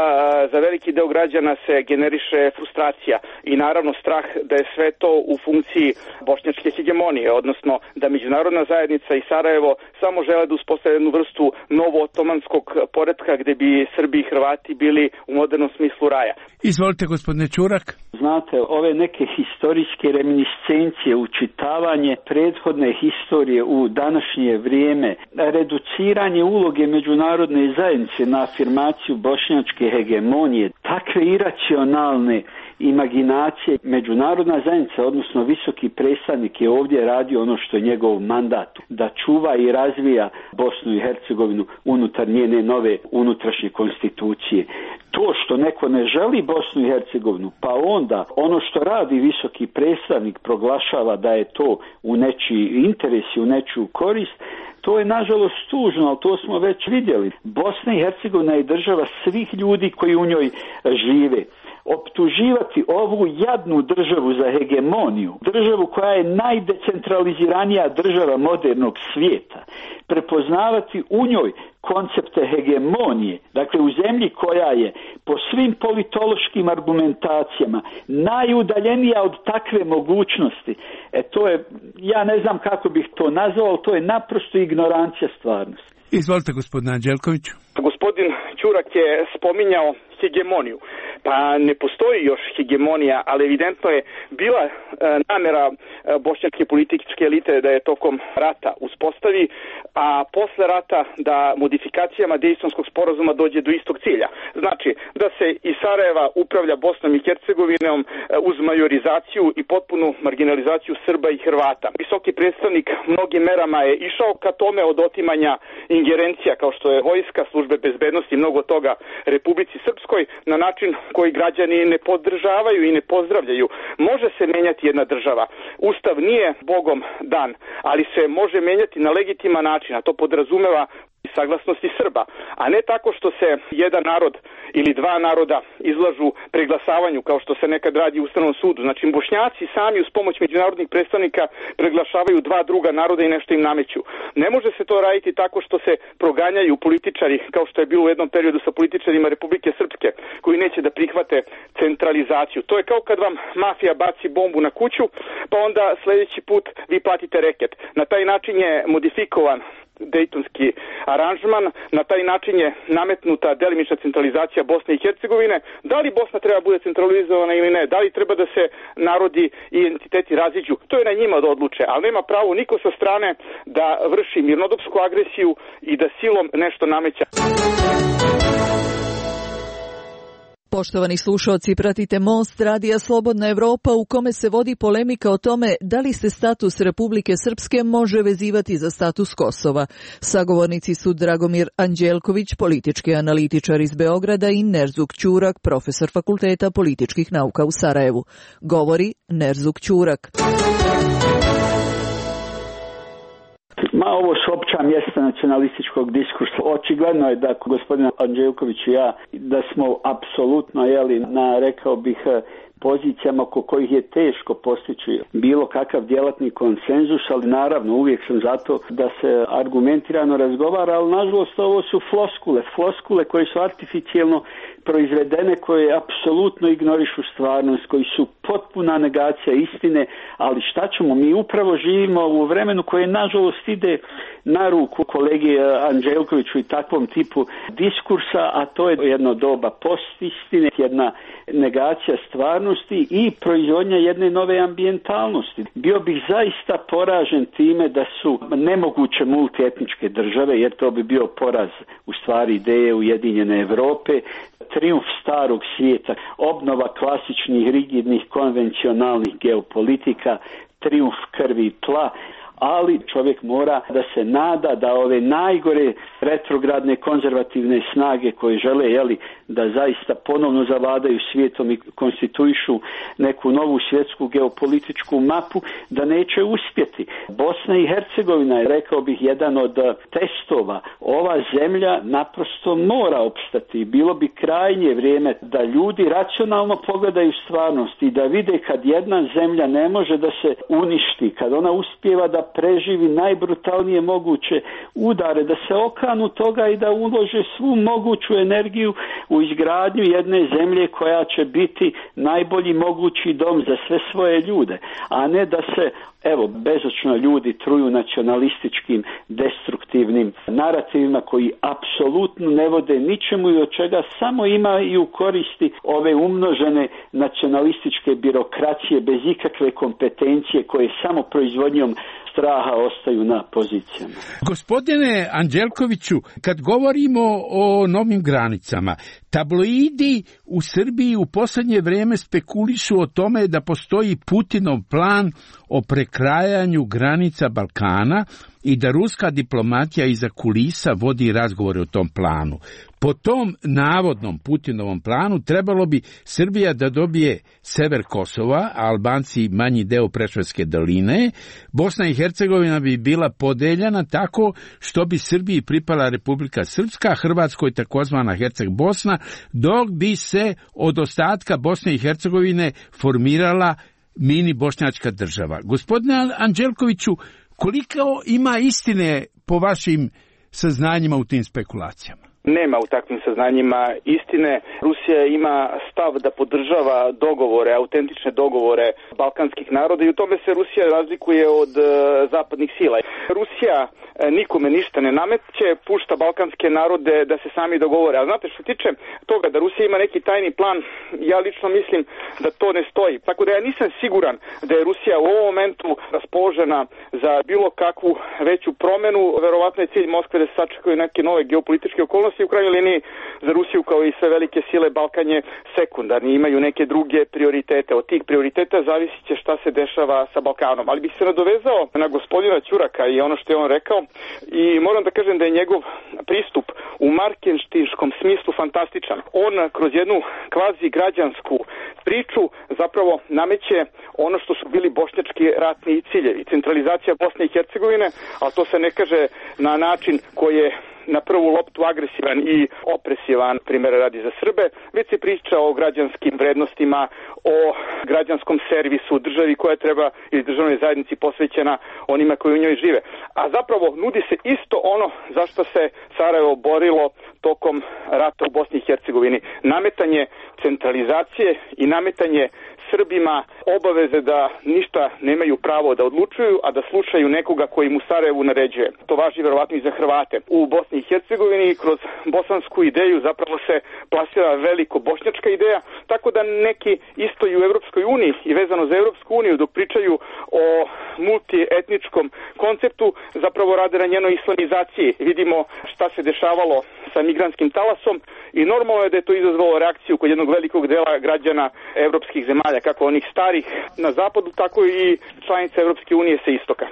za veliki deo građana se generiše frustracija i naravno strah da je sve to u funkciji bošnjačke hegemonije, odnosno da međunarodna zajednica i Sarajevo samo žele da uspostave jednu vrstu novo-otomanskog poretka gde bi Srbi i Hrvati bili u modernom smislu raja. Izvolite, gospodine Čurak. Znate, ove neke historijske reminiscencije, učitavanje prethodne historije u današnje vrijeme, reduciranje uloge međunarodne zajednice na afirmaciju bošnjačke hegemonije, takve iracionalne imaginacije, međunarodna zajednica, odnosno visoki predstavnik je ovdje radio ono što je njegov mandat, da čuva i razvija Bosnu i Hercegovinu unutar njene nove unutrašnje konstitucije. To što neko ne želi Bosnu i Hercegovinu, pa onda ono što radi visoki predstavnik proglašava da je to u nečiji interes i u nečiju korist, to je nažalost tužno, ali to smo već vidjeli. Bosna i Hercegovina je država svih ljudi koji u njoj žive. Optuživati ovu jadnu državu za hegemoniju, državu koja je najdecentraliziranija država modernog svijeta, prepoznavati u njoj koncepte hegemonije, dakle u zemlji koja je po svim politološkim argumentacijama najudaljenija od takve mogućnosti, e to je, ja ne znam kako bih to nazvao, ali to je naprosto ignorancija stvarnosti. Izvolite, gospodine Anđelkoviću. Gospodin Ćurak je spominjao hegemoniju. pa ne postoji još hegemonija, ali evidentno je bila e, namera e, bošnjačke političke elite da je tokom rata uspostavi, a posle rata da modifikacijama Dejtonskog sporazuma dođe do istog cilja. Znači, da se iz Sarajeva upravlja Bosnom i Hercegovinom e, uz majorizaciju i potpunu marginalizaciju Srba i Hrvata. Visoki predstavnik mnogim merama je išao ka tome od otimanja ingerencija kao što je vojska, službe bezbednosti i mnogo toga Republici Srpskoj na način koji građani ne podržavaju i ne pozdravljaju. Može se menjati jedna država. Ustav nije Bogom dan, ali se može menjati na legitiman način, a to podrazumeva saglasnosti Srba, a ne tako što se jedan narod ili dva naroda izlažu preglasavanju kao što se nekad radi u Ustavnom sudu. Znači, Bošnjaci sami uz pomoć međunarodnih predstavnika preglašavaju dva druga naroda i nešto im nameću. Ne može se to raditi tako što se proganjaju političari kao što je bilo u jednom periodu sa političarima Republike Srpske koji neće da prihvate centralizaciju. To je kao kad vam mafija baci bombu na kuću pa onda sljedeći put vi platite reket. Na taj način je modifikovan Dejtonski aranžman, na taj način je nametnuta delimična centralizacija Bosne i Hercegovine. Da li Bosna treba bude centralizovana ili ne, da li treba da se narodi i entiteti raziđu, to je na njima da odluče, ali nema pravo niko sa strane da vrši mirnodopsku agresiju i da silom nešto nameća. Poštovani slušalci, pratite Most Radija Slobodna Evropa u kome se vodi polemika o tome da li se status Republike Srpske može vezivati za status Kosova. Sagovornici su Dragomir Anđelković, politički analitičar iz Beograda i Nerzuk Ćurak, profesor Fakulteta političkih nauka u Sarajevu. Govori Nerzuk Ćurak. Ma, ovo su opća mjesta nacionalističkog diskursa. Očigledno je da gospodin Anđelković i ja, da smo apsolutno, jeli, na, rekao bih, pozicijama oko kojih je teško postići bilo kakav djelatni konsenzus, ali naravno uvijek sam zato da se argumentirano razgovara, ali nažalost ovo su floskule, floskule koje su artificijelno proizvedene, koje apsolutno ignorišu stvarnost, koji su potpuna negacija istine, ali šta ćemo, mi upravo živimo u vremenu koje nažalost ide na ruku kolegi Anđelkoviću i takvom tipu diskursa, a to je jedno doba postistine, jedna negacija stvarnosti i proizvodnja jedne nove ambijentalnosti. Bio bih zaista poražen time da su nemoguće multietničke države, jer to bi bio poraz u stvari ideje Ujedinjene Evrope, trijumf starog svijeta, obnova klasičnih, rigidnih, konvencionalnih geopolitika, trijumf krvi i tla, ali čovjek mora da se nada da ove najgore retrogradne konzervativne snage koje žele, jeli, da zaista ponovno zavladaju svijetom i konstituišu neku novu svjetsku geopolitičku mapu, da neće uspjeti. Bosna i Hercegovina je, rekao bih, jedan od testova. Ova zemlja naprosto mora opstati. Bilo bi krajnje vrijeme da ljudi racionalno pogledaju stvarnost i da vide kad jedna zemlja ne može da se uništi, kad ona uspijeva da preživi najbrutalnije moguće udare, da se okanu toga i da ulože svu moguću energiju u izgradnju jedne zemlje koja će biti najbolji mogući dom za sve svoje ljude, a ne da se, evo, bezočno ljudi truju nacionalističkim, destruktivnim narativima koji apsolutno ne vode ničemu i od čega samo imaju koristi ove umnožene nacionalističke birokracije bez ikakve kompetencije koje samo proizvodnjom straha ostaju na pozicijama. Gospodine Anđelkoviću, kad govorimo o novim granicama, tabloidi u Srbiji u posljednje vrijeme spekulišu o tome da postoji Putinov plan o prekrajanju granica Balkana i da ruska diplomatija iza kulisa vodi razgovore o tom planu. Po tom navodnom Putinovom planu trebalo bi Srbija da dobije sever Kosova, a Albanci manji deo Preševske doline. Bosna i Hercegovina bi bila podeljena tako što bi Srbiji pripala Republika Srpska, Hrvatskoj takozvana Herceg Bosna, dok bi se od ostatka Bosne i Hercegovine formirala mini bošnjačka država. Gospodine Anđelkoviću, koliko ima istine po vašim saznanjima u tim spekulacijama? Nema u takvim saznanjima istine. Rusija ima stav da podržava dogovore, autentične dogovore balkanskih naroda i u tome se Rusija razlikuje od uh, zapadnih sila. Rusija uh, nikome ništa ne nameće, pušta balkanske narode da se sami dogovore. A znate što tiče toga da Rusija ima neki tajni plan, ja lično mislim da to ne stoji. Tako da ja nisam siguran da je Rusija u ovom momentu raspoložena za bilo kakvu veću promenu. Verovatno je cilj Moskve da se sačekaju neke nove geopolitičke okolnosti. U krajnjoj liniji za Rusiju kao i sve velike sile Balkan je sekundarni, imaju neke druge prioritete. Od tih prioriteta zavisit će šta se dešava sa Balkanom. Ali bih se nadovezao na gospodina Ćuraka i ono što je on rekao i moram da kažem da je njegov pristup u marketinškom smislu fantastičan. On kroz jednu kvazi građansku priču zapravo nameće ono što su bili bošnjački ratni ciljevi. Centralizacija Bosne i Hercegovine, a to se ne kaže na način koji je na prvu loptu agresivan i opresivan, primjer radi za Srbe, već se priča o građanskim vrednostima, o građanskom servisu, državi koja treba ili državnoj zajednici posvećena onima koji u njoj žive. A zapravo nudi se isto ono za što se Sarajevo borilo tokom rata u Bosni i Hercegovini. Nametanje centralizacije i nametanje Srbima obaveze da ništa nemaju pravo da odlučuju, a da slušaju nekoga koji mu Sarajevu naređuje. To važi verovatno i za Hrvate. U Bosni i Hercegovini kroz bosansku ideju zapravo se plasira veliko bošnjačka ideja, tako da neki isto i u Evropskoj uniji i vezano za Evropsku uniju dok pričaju o multietničkom konceptu zapravo rade na njenoj islamizaciji. Vidimo šta se dešavalo sa migrantskim talasom i normalno je da je to izazvalo reakciju kod jednog velikog dela građana evropskih zemalja, kako onih starih na zapadu, tako i članica Evropske unije sa istoka.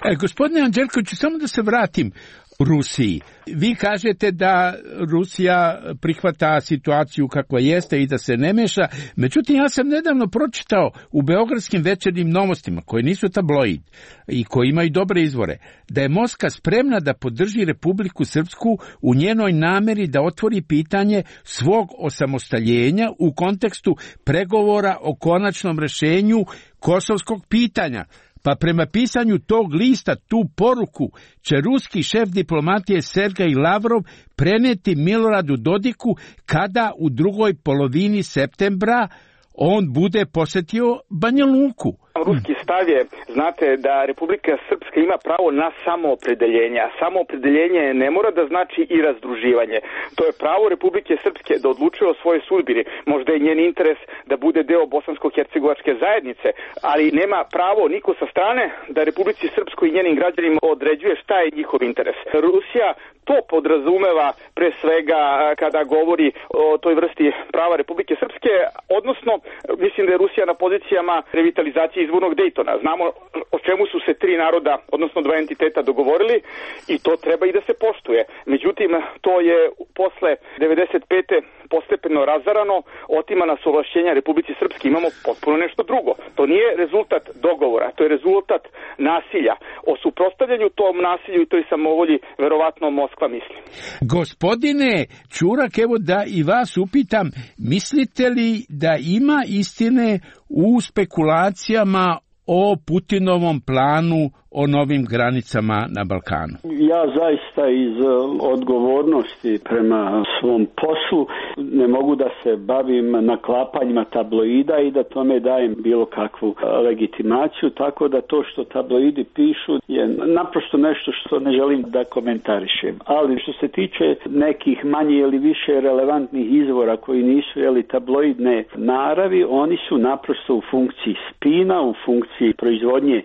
E, gospodine Anđelkoviću, samo da se vratim Rusiji. Vi kažete da Rusija prihvata situaciju kakva jeste i da se ne meša, međutim ja sam nedavno pročitao u beogradskim večernjim novostima, koje nisu tabloid i koji imaju dobre izvore, da je Moskva spremna da podrži Republiku Srpsku u njenoj nameri da otvori pitanje svog osamostaljenja u kontekstu pregovora o konačnom rešenju kosovskog pitanja. Pa prema pisanju tog lista tu poruku će ruski šef diplomatije Sergej Lavrov preneti Miloradu Dodiku kada u drugoj polovini septembra on bude posjetio Banja Luku. Ruski stav je, znate, da Republika Srpska ima pravo na samoopredeljenje, a samoopredeljenje ne mora da znači i razdruživanje. To je pravo Republike Srpske da odlučuje o svojoj sudbini. Možda je njen interes da bude deo bosansko-hercegovačke zajednice, ali nema pravo niko sa strane da Republici Srpskoj i njenim građanima određuje šta je njihov interes. Rusija to podrazumeva pre svega kada govori o toj vrsti prava Republike Srpske, odnosno mislim da je Rusija na pozicijama revitalizacije izvornog Dejtona. Znamo o čemu su se tri naroda, odnosno dva entiteta dogovorili i to treba i da se poštuje. Međutim, to je posle devedeset pete postepeno razarano, otimana su ovlašćenja Republici Srpske. Imamo potpuno nešto drugo. To nije rezultat dogovora, to je rezultat nasilja. O suprotstavljanju tom nasilju i toj samovolji verovatno Moskva misli. Gospodine Ćurak, evo da i vas upitam, mislite li da ima istine u spekulacijama o Putinovom planu o novim granicama na Balkanu? Ja zaista iz odgovornosti prema svom poslu ne mogu da se bavim naklapanjima tabloida i da tome dajem bilo kakvu legitimaciju, tako da to što tabloidi pišu je naprosto nešto što ne želim da komentarišem. Ali što se tiče nekih manje ili više relevantnih izvora koji nisu jeli tabloidne naravi, oni su naprosto u funkciji spina, u funkciji proizvodnje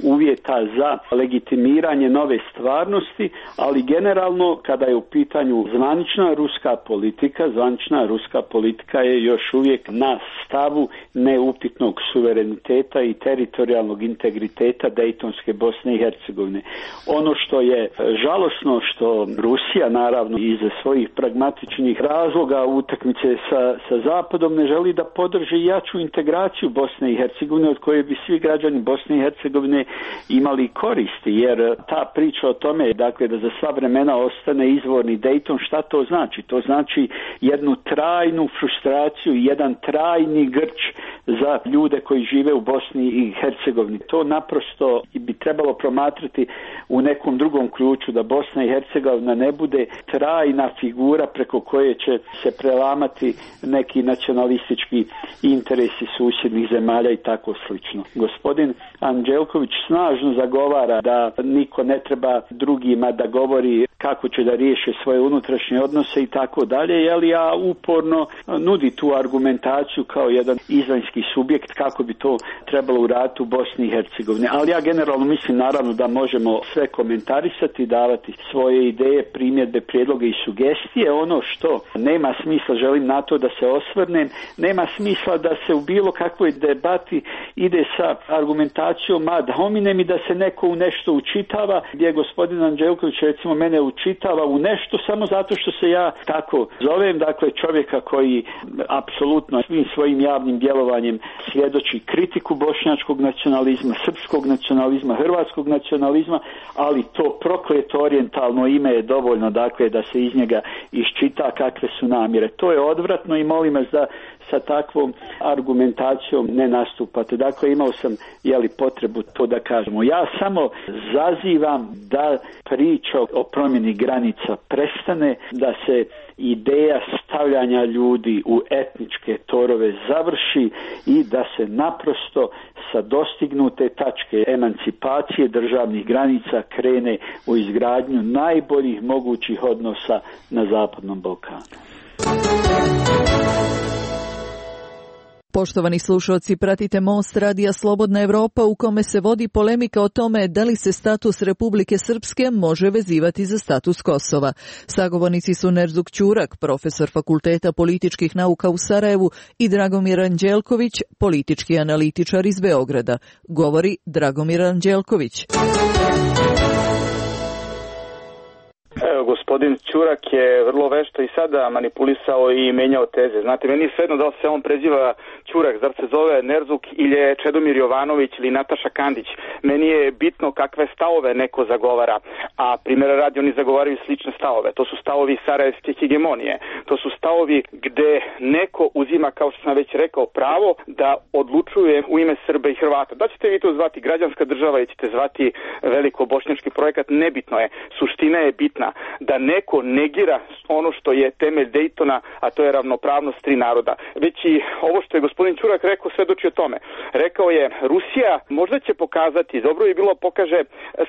uvjeta za legitimiranje nove stvarnosti, ali generalno kada je u pitanju zvanična ruska politika, zvanična ruska politika je još uvijek na stavu neupitnog suvereniteta i teritorijalnog integriteta Dejtonske Bosne i Hercegovine. Ono što je žalosno što Rusija naravno iz svojih pragmatičnih razloga utakmice sa, sa Zapadom ne želi da podrži jaču integraciju Bosne i Hercegovine od koje bi svi građani Bosne i Hercegovine imali imali koristi, jer ta priča o tome, dakle, da za sva vremena ostane izvorni Dayton, šta to znači? To znači jednu trajnu frustraciju, jedan trajni grč za ljude koji žive u Bosni i Hercegovini. To naprosto bi trebalo promatrati u nekom drugom ključu, da Bosna i Hercegovina ne bude trajna figura preko koje će se prelamati neki nacionalistički interesi susjednih zemalja i tako slično. Gospodin Anđelković snažno zagovara da niko ne treba drugima da govori kako će da riješe svoje unutrašnje odnose i tako dalje, jel ja uporno nudi tu argumentaciju kao jedan izvanjski subjekt kako bi to trebalo uraditi u Bosni i Hercegovini. Ali ja generalno mislim naravno da možemo sve komentarisati, davati svoje ideje, primjedbe, prijedloge i sugestije. Ono što nema smisla, želim na to da se osvrnem, nema smisla da se u bilo kakvoj debati ide sa argumentacijom ad hominem i da se neko u nešto učitava, gdje gospodin Anđelković recimo mene učitava u nešto samo zato što se ja tako zovem, dakle čovjeka koji apsolutno svim svojim javnim djelovanjem svjedoči kritiku bošnjačkog nacionalizma, srpskog nacionalizma, hrvatskog nacionalizma, ali to prokleto orijentalno ime je dovoljno, dakle, da se iz njega iščita kakve su namjere. To je odvratno i molim vas da sa takvom argumentacijom ne nastupate. Dakle, imao sam jeli, potrebu to da kažemo. Ja samo zazivam da priča o promjeni granica prestane, da se ideja stavljanja ljudi u etničke torove završi i da se naprosto sa dostignute tačke emancipacije državnih granica krene u izgradnju najboljih mogućih odnosa na Zapadnom Balkanu. Poštovani slušalci, pratite Most radija Slobodna Evropa u kome se vodi polemika o tome da li se status Republike Srpske može vezivati za status Kosova. Sagovornici su Nerzuk Ćurak, profesor Fakulteta političkih nauka u Sarajevu, i Dragomir Anđelković, politički analitičar iz Beograda. Govori Dragomir Anđelković. Evo, gospodin Ćurak je vrlo vešto i sada manipulisao i menjao teze. Znate, meni je svejedno da li se on preziva Ćurak, zar se zove Nerzuk ili je Čedomir Jovanović ili Nataša Kandić. Meni je bitno kakve stavove neko zagovara, a primjera radi oni zagovaraju slične stavove. To su stavovi sarajevske hegemonije. To su stavovi gde neko uzima, kao što sam već rekao, pravo da odlučuje u ime Srba i Hrvata. Da ćete vi to zvati građanska država ili ćete zvati veliko bošnjački projekat, nebitno je. Suština je bitna. Da neko negira ono što je temelj Daytona, a to je ravnopravnost tri naroda. Već i ovo što je gospodin Ćurak rekao svedoči o tome. Rekao je, Rusija možda će pokazati, dobro bi bilo pokaže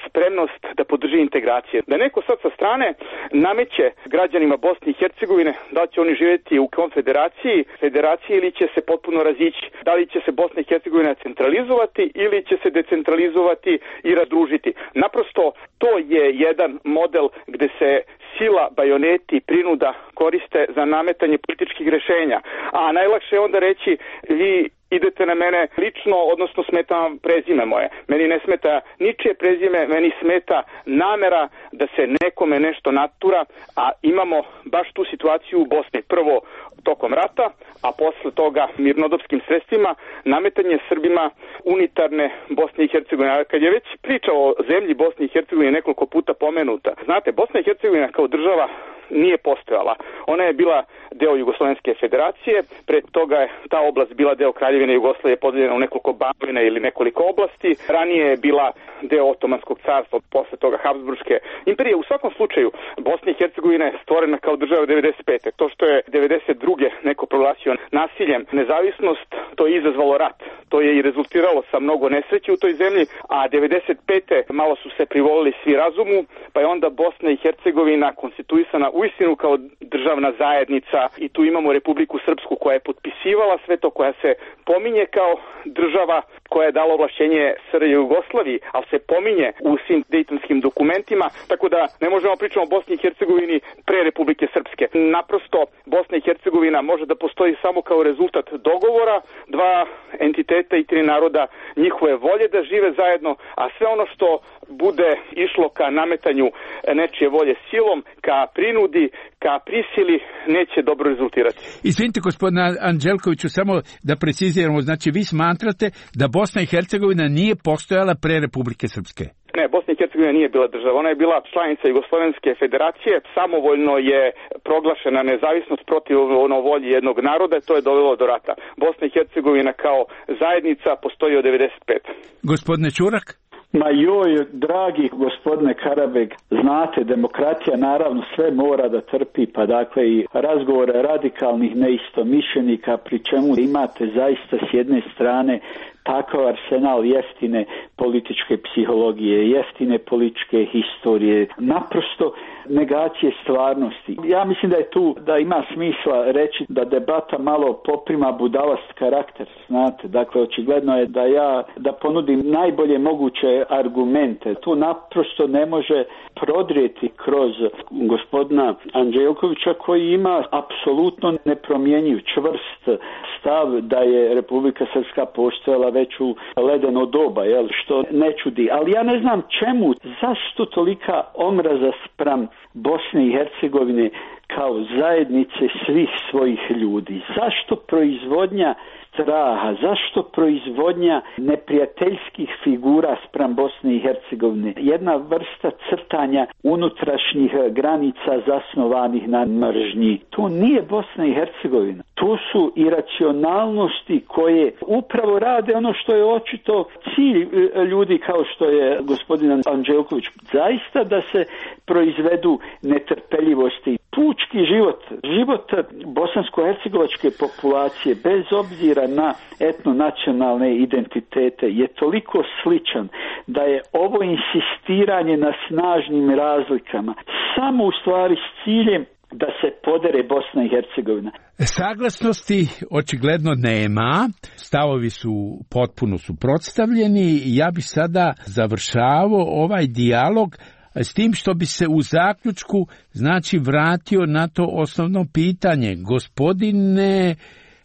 spremnost da podrži integracije. Da neko sad sa strane nameće građanima Bosne i Hercegovine da će oni živjeti u konfederaciji, federaciji ili će se potpuno razići. Da li će se Bosna i Hercegovina centralizovati ili će se decentralizovati i razdružiti. Naprosto to je jedan model gde se sila, bajoneti, prinuda koriste za nametanje političkih rješenja. A najlakše je onda reći, vi idete na mene lično, odnosno smeta vam prezime moje. Meni ne smeta ničije prezime, meni smeta namera da se nekome nešto natura, a imamo baš tu situaciju u Bosni. Prvo tokom rata, a posle toga mirnodopskim sredstvima, nametanje Srbima unitarne Bosne i Hercegovine. Kad je već priča o zemlji Bosne i Hercegovine nekoliko puta pomenuta, znate, Bosna i Hercegovina kao država nije postojala. Ona je bila deo Jugoslovenske federacije, pre toga je ta oblast bila deo Kraljevine Jugoslavije, podeljena u nekoliko banovina ili nekoliko oblasti. Ranije je bila deo Otomanskog carstva, posle toga Habsburške imperije. U svakom slučaju, Bosna i Hercegovina je stvorena kao država devedeset pete. To što je devedeset druge neko proglasio nasiljem nezavisnost, to je izazvalo rat. To je i rezultiralo sa mnogo nesreći u toj zemlji, a devedeset pete malo su se privolili svi razumu, pa je onda Bosna i Hercegovina konstituisana uistinu kao državna zajednica i tu imamo Republiku Srpsku koja je potpisivala sve to, koja se pominje kao država koja je dala ovlašćenje S R J Jugoslaviji, ali se pominje u svim dejtonskim dokumentima, tako da ne možemo pričati o Bosni i Hercegovini pre Republike Srpske. Naprosto Bosna i Hercegovina može da postoji samo kao rezultat dogovora dva entiteta i tri naroda, njihove volje da žive zajedno, a sve ono što bude išlo ka nametanju nečije volje silom, ka prinudi, ka prisili, neće dobro rezultirati. Izvinite, gospodine Anđelkoviću, samo da preciziramo, znači vi smatrate da Bosna i Hercegovina nije postojala pre Republike Srpske? Ne, Bosna i Hercegovina nije bila država, ona je bila članica Jugoslovenske federacije, samovoljno je proglašena nezavisnost protiv ono volji jednog naroda, to je dovelo do rata. Bosna i Hercegovina kao zajednica postoji od devedeset pete. Gospodine Ćurak? Ma joj, dragi gospodine Karabeg, znate, demokratija naravno sve mora da trpi, pa dakle i razgovore radikalnih neistomišljenika, pri čemu imate zaista s jedne strane takav arsenal jeftine političke psihologije, jeftine političke historije, naprosto negacije stvarnosti. Ja mislim da je tu, da ima smisla reći da debata malo poprima budalast karakter, znate, dakle očigledno je da ja, da ponudim najbolje moguće argumente. Tu naprosto ne može prodrijeti kroz gospodina Anđelkovića koji ima apsolutno nepromjenjiv, čvrst stav da je Republika Srpska postojala već u ledeno doba, jel, što ne čudi. Ali ja ne znam čemu, zašto tolika omraza spram Bosne i Hercegovine kao zajednice svih svojih ljudi? Zašto proizvodnja straha, zašto proizvodnja neprijateljskih figura spram Bosne i Hercegovine? Jedna vrsta crtanja unutrašnjih granica zasnovanih na mržnji. To nije Bosna i Hercegovina. To su iracionalnosti koje upravo rade ono što je očito cilj ljudi kao što je gospodin Anđelković. Zaista da se proizvedu netrpeljivosti. Pučki život, život bosansko-hercegovačke populacije, bez obzira na etnonacionalne identitete, je toliko sličan da je ovo insistiranje na snažnim razlikama samo u stvari s ciljem da se podere Bosna i Hercegovina. Saglasnosti očigledno nema, stavovi su potpuno suprotstavljeni. Ja bi sada završavao ovaj dijalog s tim što bi se u zaključku znači vratio na to osnovno pitanje. Gospodine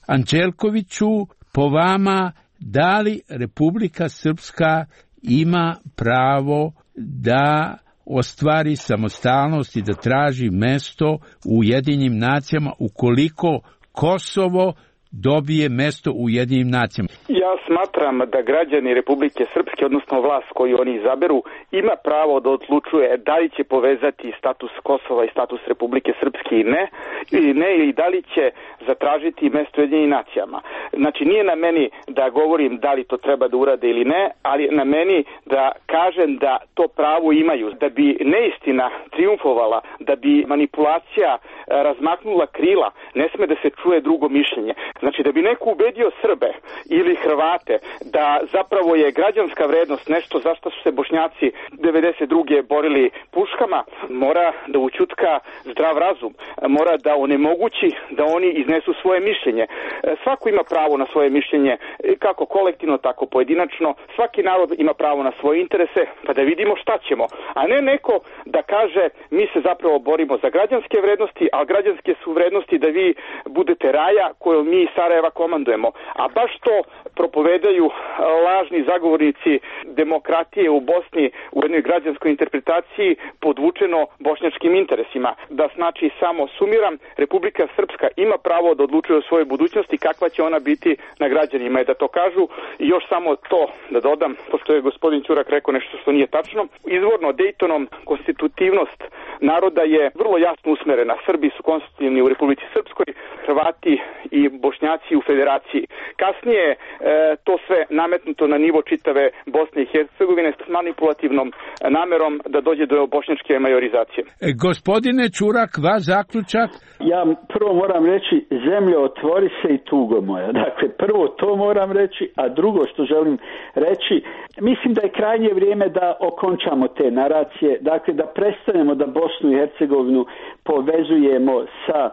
Anđelkoviću, po vama, da li Republika Srpska ima pravo da ostvari samostalnost i da traži mesto u Ujedinjenim nacijama ukoliko Kosovo dobije mesto u Ujedinjenim nacijama? Ja smatram da građani Republike Srpske, odnosno vlast koju oni izaberu, ima pravo da odlučuje da li će povezati status Kosova i status Republike Srpske i ne, ili ne, ili da li će zatražiti mesto u Ujedinjenim nacijama. Znači, nije na meni da govorim da li to treba da urade ili ne, ali na meni da kažem da to pravo imaju. Da bi neistina triumfovala, da bi manipulacija razmaknula krila, ne sme da se čuje drugo mišljenje. Znači, da bi neko ubedio Srbe ili Hrvate da zapravo je građanska vrednost nešto za što su se Bošnjaci devedeset druge borili puškama, mora da ućutka zdrav razum, mora da onemogući da oni iznesu svoje mišljenje. Svako ima pravo na svoje mišljenje, kako kolektivno, tako pojedinačno. Svaki narod ima pravo na svoje interese, pa da vidimo šta ćemo. A ne neko da kaže mi se zapravo borimo za građanske vrednosti, a građanske su vrednosti da vi budete raja koju mi iz Sarajeva komandujemo. A baš to propovedaju lažni zagovornici demokratije u Bosni u jednoj građanskoj interpretaciji podvučeno bošnjačkim interesima. Da znači, samo sumiram, Republika Srpska ima pravo da odlučuje o svojoj budućnosti, kakva će ona biti na građanima i da to kažu. I još samo to da dodam, pošto je gospodin Ćurak rekao nešto što nije tačno. Izvorno Dejtonom konstitutivnost naroda je vrlo jasno usmerena. Srbi su konstitutivni u Republici Srpskoj, Hrvati i Bošnjaci u federaciji. Kasnije e, to sve nametnuto na nivo čitave Bosne i Hercegovine s manipulativnom namerom da dođe do bošnjačke majorizacije. E, gospodine Ćurak, vaš zaključak? Ja prvo moram reći, zemljo, otvori se i tugo moja. Dakle, prvo to moram reći, a drugo što želim reći, mislim da je krajnje vrijeme da okončamo te naracije, dakle da prestanemo da Bosnu i Hercegovinu povezujemo sa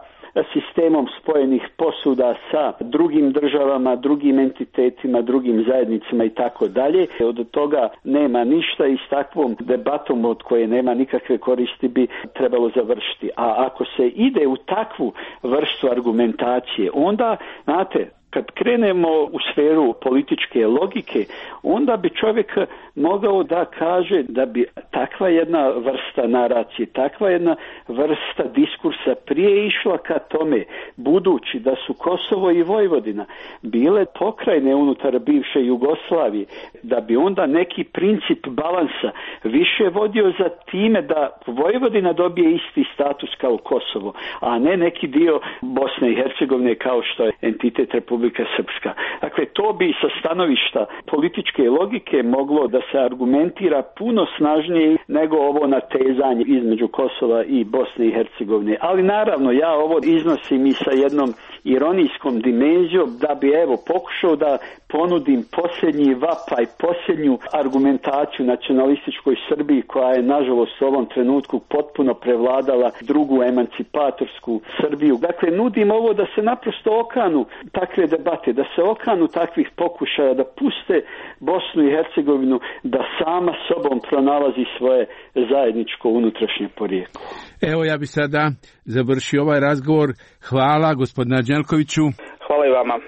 sistemom spojenih posuda sa drugim državama, drugim entitetima, drugim zajednicama i tako dalje. Od toga nema ništa i s takvom debatom od koje nema nikakve koristi bi trebalo završiti. A ako se ide u takvu vrstu argumentacije, onda, znate, Kad krenemo u sferu političke logike, onda bi čovjek mogao da kaže da bi takva jedna vrsta naracije, takva jedna vrsta diskursa prije išla ka tome, budući da su Kosovo i Vojvodina bile pokrajine unutar bivše Jugoslavije, da bi onda neki princip balansa više vodio za time da Vojvodina dobije isti status kao Kosovo, a ne neki dio Bosne i Hercegovine kao što je entitet Republika Srpska. Dakle, to bi sa stanovišta političke logike moglo da se argumentira puno snažnije nego ovo natezanje između Kosova i Bosne i Hercegovine. Ali naravno, ja ovo iznosim i sa jednom ironijskom dimenzijom da bi evo pokušao da ponudim posljednji vapaj, posljednju argumentaciju nacionalističkoj Srbiji koja je nažalost u ovom trenutku potpuno prevladala drugu emancipatorsku Srbiju. Dakle, nudim ovo da se naprosto okanu takve debate, da se okanu takvih pokušaja, da puste Bosnu i Hercegovinu da sama sobom pronalazi svoje zajedničko unutrašnje porijeklo. Evo, ja bi sada završio ovaj razgovor. Hvala gospodine Anđelkoviću. Hvala i vama.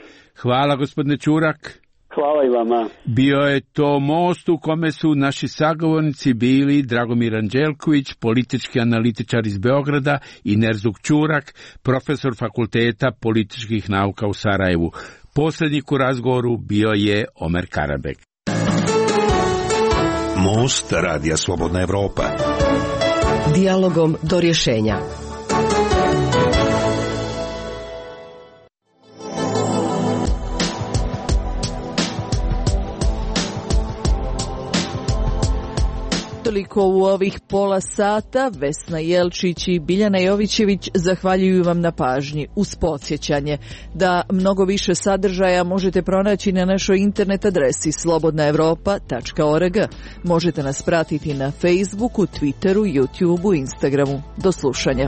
Hvala gospodine Ćurak. Hvala i vama. Bio je to most u kome su naši sagovornici bili Dragomir Anđelković, politički analitičar iz Beograda, i Nerzuk Ćurak, profesor Fakulteta političkih nauka u Sarajevu. Poslednjik u razgovoru bio je Omer Karabek. Most Radija Slobodna Evropa. Dijalogom do rješenja. Toliko u ovih pola sata. Vesna Jelčić i Biljana Jovićević zahvaljuju vam na pažnji. Uz podsjećanje da mnogo više sadržaja možete pronaći na našoj internet adresi slobodna evropa tačka org. Možete nas pratiti na Facebooku, Twitteru, YouTubeu, Instagramu. Do slušanja.